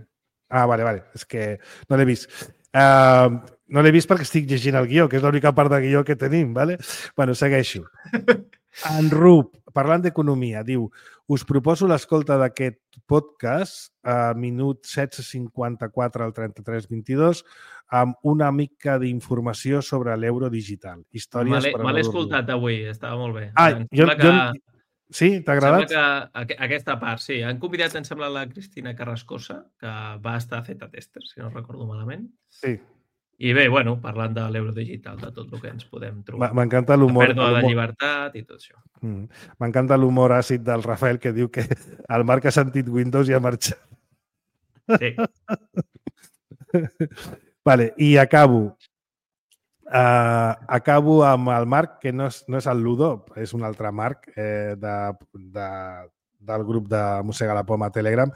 Vale. És que no l'he vist. No l'he vist perquè estic llegint el guió, que és l'única part de guió que tenim, ¿vale? Bueno, segueixo. En Rup, parlant d'economia, diu: us proposo l'escolta d'aquest podcast a minut 16:54 al 33:22 amb una mica d'informació sobre l'euro digital. Històries per a... Me l'he escoltat avui, estava molt bé. Sí? T'ha agradat? Sembla que aquesta part, sí. Han convidat, em sembla, la Cristina Carrascosa, que va estar a Z-Tester, si no recordo malament. Sí. I bé, bueno, parlant de l'euro digital, de tot el que ens podem trobar. M'encanta l'humor. La pèrdua de llibertat i tot això. M'encanta l'humor àcid del Rafael, que diu que el Marc ha sentit Windows i ha marxat. Sí. Vale, i acabo amb el Marc, que no és el Ludo, és un altre Marc del grup de Mossega la Poma a Telegram,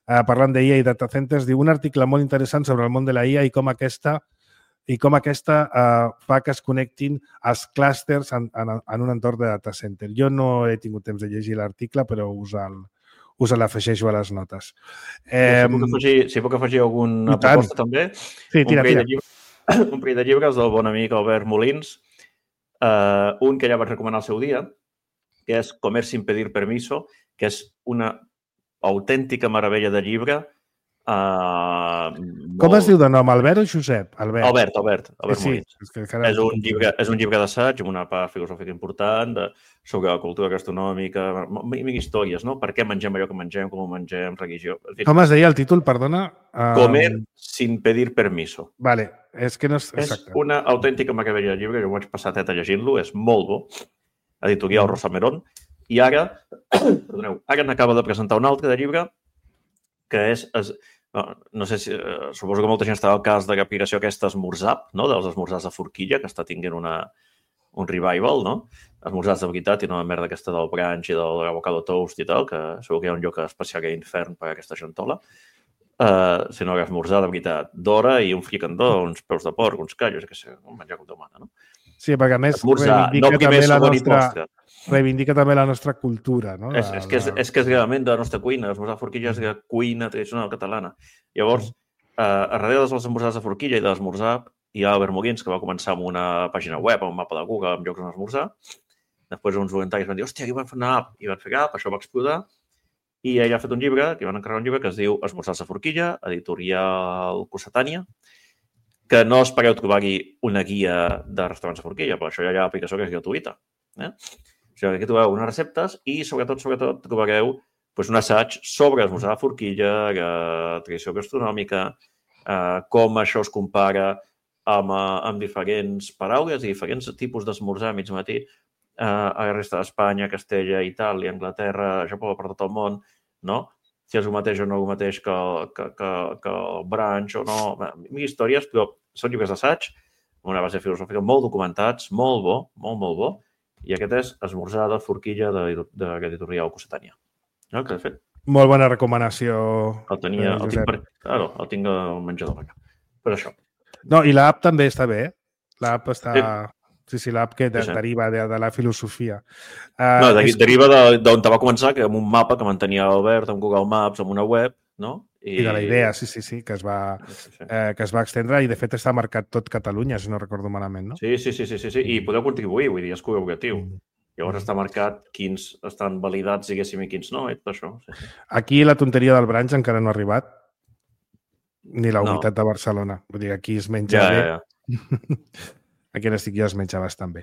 parlant d'IA i data centers. Diu un article molt interessant sobre el món de la IA i com aquesta fa que es connectin els clústers en un entorn de data center. Jo no he tingut temps de llegir l'article, però us l'afegeixo a les notes. Si puc afegir alguna proposta també? Sí, tira. Un parell de llibres del bon amic Albert Molins. Un que ja vaig recomanar al seu dia, que és Comer sin pedir permiso, que és una autèntica meravella de llibre. Com es diu de nom? Albert o Josep? Albert Molins. És un llibre d'assaig amb una part filosòfica important sobre la cultura gastronòmica, històries, no? Per què mengem allò que mengem, com ho mengem, religió... Com es deia el títol, perdona? Comer sin pedir permiso. Vale, és que no és... És una autèntica meravella de llibre, jo vaig passar teta llegint-lo, és molt bo. Editorial Rosa Merón. I ara n'acaba de presentar un altre de llibre que és... No sé si... Suposo que molta gent està al cas de l'aplicació aquesta Esmorzap, no? Dels esmorzars de forquilla, que està tinguent un revival, no? Esmorzars de veritat i no la merda aquesta del brunch i de l'avocado toast i tal, que segur que hi ha un lloc especial a infern per a aquesta gentola. Sinó que esmorzar de veritat d'hora i un fricandó, uns peus de porc, uns callos, que sé, un menjar com demana, no? Sí, perquè a més reivindica també la nostra cultura, no? És que és realment de la nostra cuina. Esmorzar de forquilla és la cuina tradicional catalana. Llavors, a darrere dels esmorzars de forquilla i de l'esmorzar hi ha Albert Molins, que va començar amb una pàgina web, amb un mapa de Google, amb llocs on esmorzar. Després uns voluntaris van dir, hòstia, aquí van fer una app. I van fer app, això va explotar. I ell ha fet un llibre, que van encarregar un llibre que es diu Esmorzars de forquilla, editorial Cossetània, que no espereu trobar-hi una guia de restaurants de forquilla, però això ja hi ha aplicació que és gratuïta. O sigui, aquí trobareu unes receptes i, sobretot, trobareu un assaig sobre esmorzar de forquilla, la tradició gastronòmica, com això es compara amb diferents paraules i diferents tipus d'esmorzar a mig matí a la resta d'Espanya, Castella, Itàlia, Anglaterra, Japó, per tot el món, no? Si és el mateix o no el mateix que el brunch o no. Mil històries, però són llibres d'assaig, una base filosòfica molt documentats, molt bo, molt bo, i aquest és Esmorzar de forquilla de l'editorial Cossetània. No? Que de fet... Molt bona recomanació. El tinc al menjador. Per això. No, i l'app també està bé. L'app està... Sí, l'app que deriva de la filosofia. No, deriva d'on va començar, que amb un mapa que mantenia Albert amb Google Maps, amb una web, no? I de la idea, sí, que es va extendre i, de fet, està marcat tot Catalunya, si no recordo malament, no? Sí. I podeu contribuir, vull dir, és col·laboratiu. Llavors està marcat quins estan validats, diguéssim, i quins no, i tot això. Sí. Aquí la tonteria del brunch encara no ha arribat, ni la unitat de Barcelona. Vull dir, aquí es menja bé. Aquí on estic jo es menja bastant bé.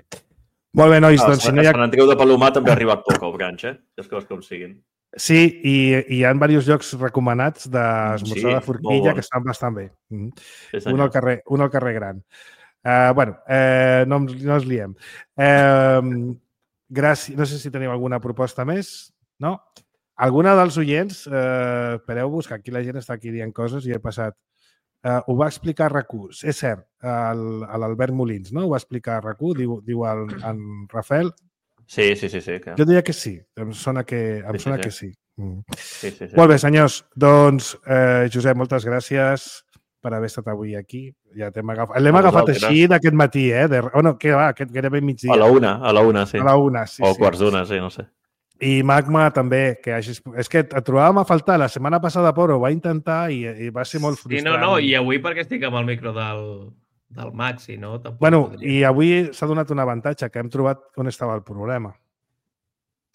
Molt bé, nois. Doncs, si no hi ha... Sant Andreu de Palomar també ha arribat poc al brunch, les coses com siguin. Sí, i hi ha diversos llocs recomanats d'esmorzar de forquilla que estan bastant bé. Un al carrer Gran. No ens liem. Gràcies. No sé si teniu alguna proposta més. No? Alguna dels oients, espereu-vos, que aquí la gent està aquí dient coses i he passat ho va explicar a RAC1. És cert, l'Albert Molins, no? Ho va explicar a RAC1, diu en Rafael. Sí. Que... Jo diria que sí. Em sona que sí. Sí. Molt bé, senyors. Doncs, Josep, moltes gràcies per haver estat avui aquí. Ja l'hem agafat així d'aquest matí, Bueno, què va? Gairebé migdia. A la una, sí. A la una, sí. O quarts d'una, sí, no sé. I Magma també, que hagis... És que et trobàvem a faltar. La setmana passada, Poro, ho va intentar i va ser molt frustrant. Sí, no, i avui perquè estic amb el micro del Maxi, no? Bueno, i avui s'ha donat un avantatge, que hem trobat on estava el problema.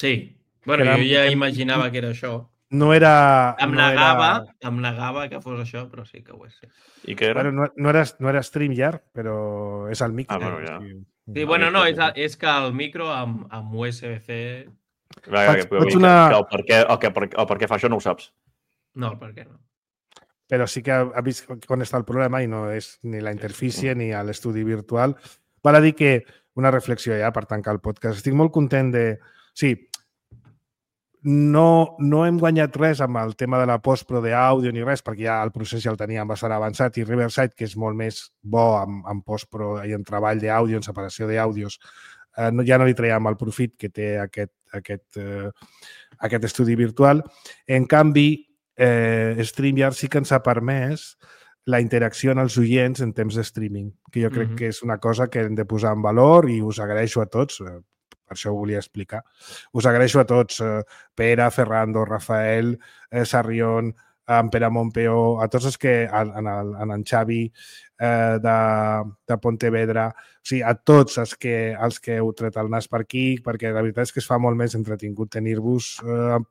Sí. Bueno, jo ja imaginava que era això. No era... Em negava que fos això, però sí que ho és. Sí. I què era? Bueno, no era StreamYard, però és el micro. Bueno, ja. Sí, bueno, no, és que el micro amb USB-C... El per què fa això no ho saps. No, el per què no. Però sí que ha vist on està el problema i no és ni la interfície ni l'estudi virtual. Val a dir que una reflexió ja per tancar el podcast. Estic molt content de... Sí, no hem guanyat res amb el tema de la postpro d'àudio ni res, perquè ja el procés ja el teníem bastant avançat, i Riverside, que és molt més bo en postpro i en treball d'àudio, en separació d'àudios, ja no li traiem el profit que té aquest estudi virtual. En canvi, StreamYard sí que ens ha permès la interacció en els oients en temps de streaming, que jo crec que és una cosa que hem de posar en valor i us agraeixo a tots, per això ho volia explicar. Us agraeixo a tots, Pere, Ferrando, Rafael, Sarrión, en Pere Montpeó, a tots els que, en Xavi de Pontevedra, o sigui, a tots els que heu tret el nas per aquí, perquè la veritat és que es fa molt més entretingut tenir-vos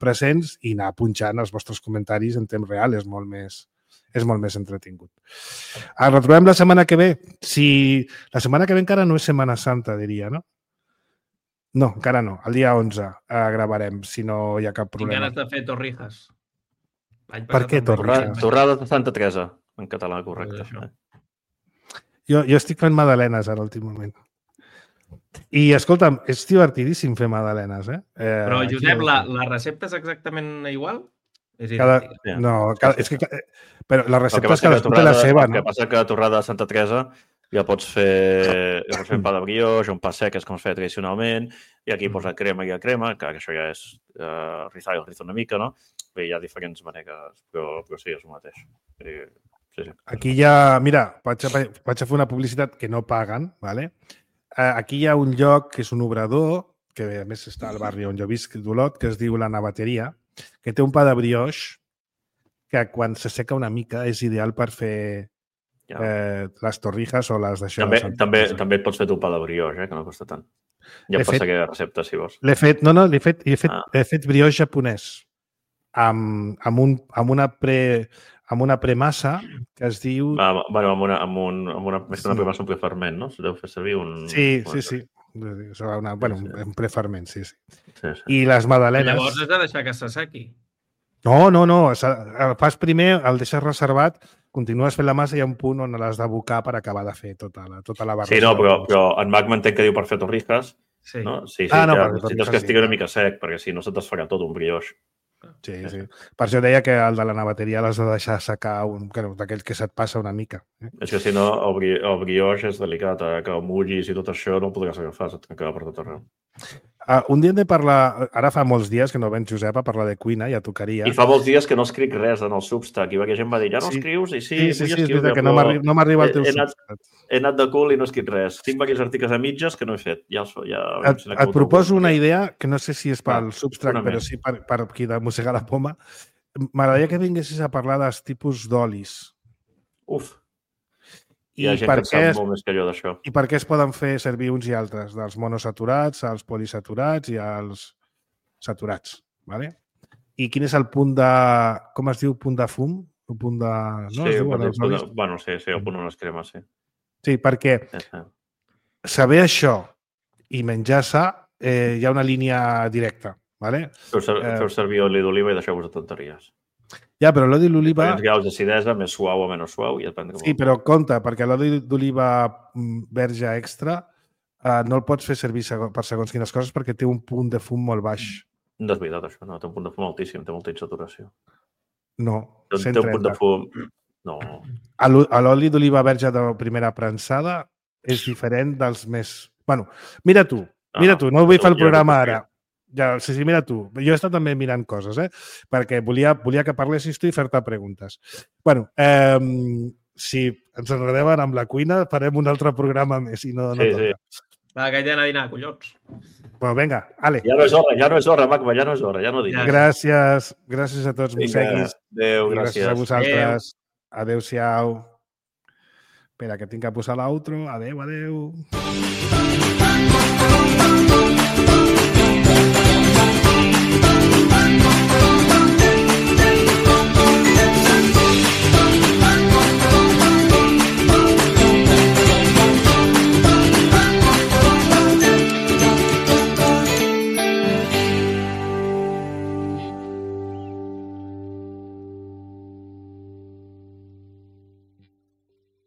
presents i anar punxant els vostres comentaris en temps real, és molt més entretingut. Ens retrobem la setmana que ve. La setmana que ve encara no és Setmana Santa, diria, no? No, encara no. El dia 11 gravarem, si no hi ha cap problema. Tinc ganes de fer Torrijas. Per què Torrijas? Torrades de Santa Teresa, en català, correcte. Jo estic fent magdalenes ara, últim moment. I, escolta'm, és divertidíssim fer magdalenes, Però, Josep, la recepta és exactament igual? És idèntica. Però la recepta és cadascú té la seva, no? El que passa que a torrada de Santa Teresa ja pots fer un pa de brioix, un pa sec, és com es feia tradicionalment, i aquí posa crema i crema, que això ja és rizar una mica, no? Bé, hi ha diferents maneres, però sí, és el mateix. Sí. Aquí ja, mira, vaig a fer una publicitat que no paguen, ¿vale? Aquí hi ha un lloc que és un obrador, que a més està al barri on jo visc, d'Olot, que es diu La Navateria, que té un pa de brioix que quan s'asseca una mica és ideal per fer les torrijas o les d'això. També et pots fer tu pa de brioix, que no costa tant. Ja em passa aquella recepta, si vols. L'he fet brioix japonès amb una premassa que es diu... Amb una premassa, un preferment, no? Deu fer servir un... Sí. Un preferment, sí. I les magdalenes... Llavors has de deixar que s'assequi. No. El fas primer, el deixes reservat, continues fent la massa i hi ha un punt on l'has d'abocar per acabar de fer tota la barra. Sí, no, però en Magma entenc que diu per fer torrijas. Sí. No? Sí, necessites que estigui una mica sec, perquè si no se t'esfarà tot un brioix. Sí. Per això deia que el de la navateria l'has de deixar secar d'aquell que se't passa una mica. És que si no, el brioix és delicat, que el mullis i tot això no el podràs agafar, se't queda per tot arreu. Un dia hem de parlar... Ara fa molts dies que no vens, Josep, a parlar de cuina, ja tocaria. I fa molts dies que no escric res en el Substack. I perquè gent va dir, ja no escrius? I sí, vull escriure, que no m'arriba el teu Substack. He anat de cul i no he escrit res. Tinc aquells articles a mitges que no he fet. Et proposo una idea, que no sé si és pel Substack, però sí per aquí de mossegar la poma. M'agradaria que vinguessis a parlar dels tipus d'olis. Uf! Hi ha gent que sap molt més que jo d'això. I per què es poden fer servir uns i altres? Dels monosaturats, als polisaturats i als saturats. ¿Vale? I quin és el punt de... Com es diu? Punt de fum? El punt de... No? Sí, el punt on es crema, sí. Sí, perquè saber això i menjar sa hi ha una línia directa. ¿Vale? Feu servir oli d'oliva i deixeu-vos de tonteries. Ja, però l'oli d'oliva... Diferents graus d'acidesa, més suau o menys suau. Sí, però compte, perquè l'oli d'oliva verge extra no el pots fer servir per segons quines coses perquè té un punt de fum molt baix. No és veritat, això. No, té un punt de fum altíssim, té molta insaturació. No, té un punt de fum... No. L'oli d'oliva verge de primera prensada és diferent dels més... Bueno, mira tu, no vull fer el programa ara. Ja, sí, mira tu. Jo he estat també mirant coses, perquè volia que parlessis tu i fer-te preguntes. Bueno, si ens enredem ara amb la cuina, farem un altre programa més i no toca. Sí. Va, que ja he d'anar a dinar, collons. Bueno, vinga, ale. Ja no és hora, Macba, ja no és hora, ja no diguis. Gràcies a tots, mosseguis. Adéu, gràcies. Gràcies a vosaltres. Adéu-siau. Espera, que tinc que posar l'outro. Adéu.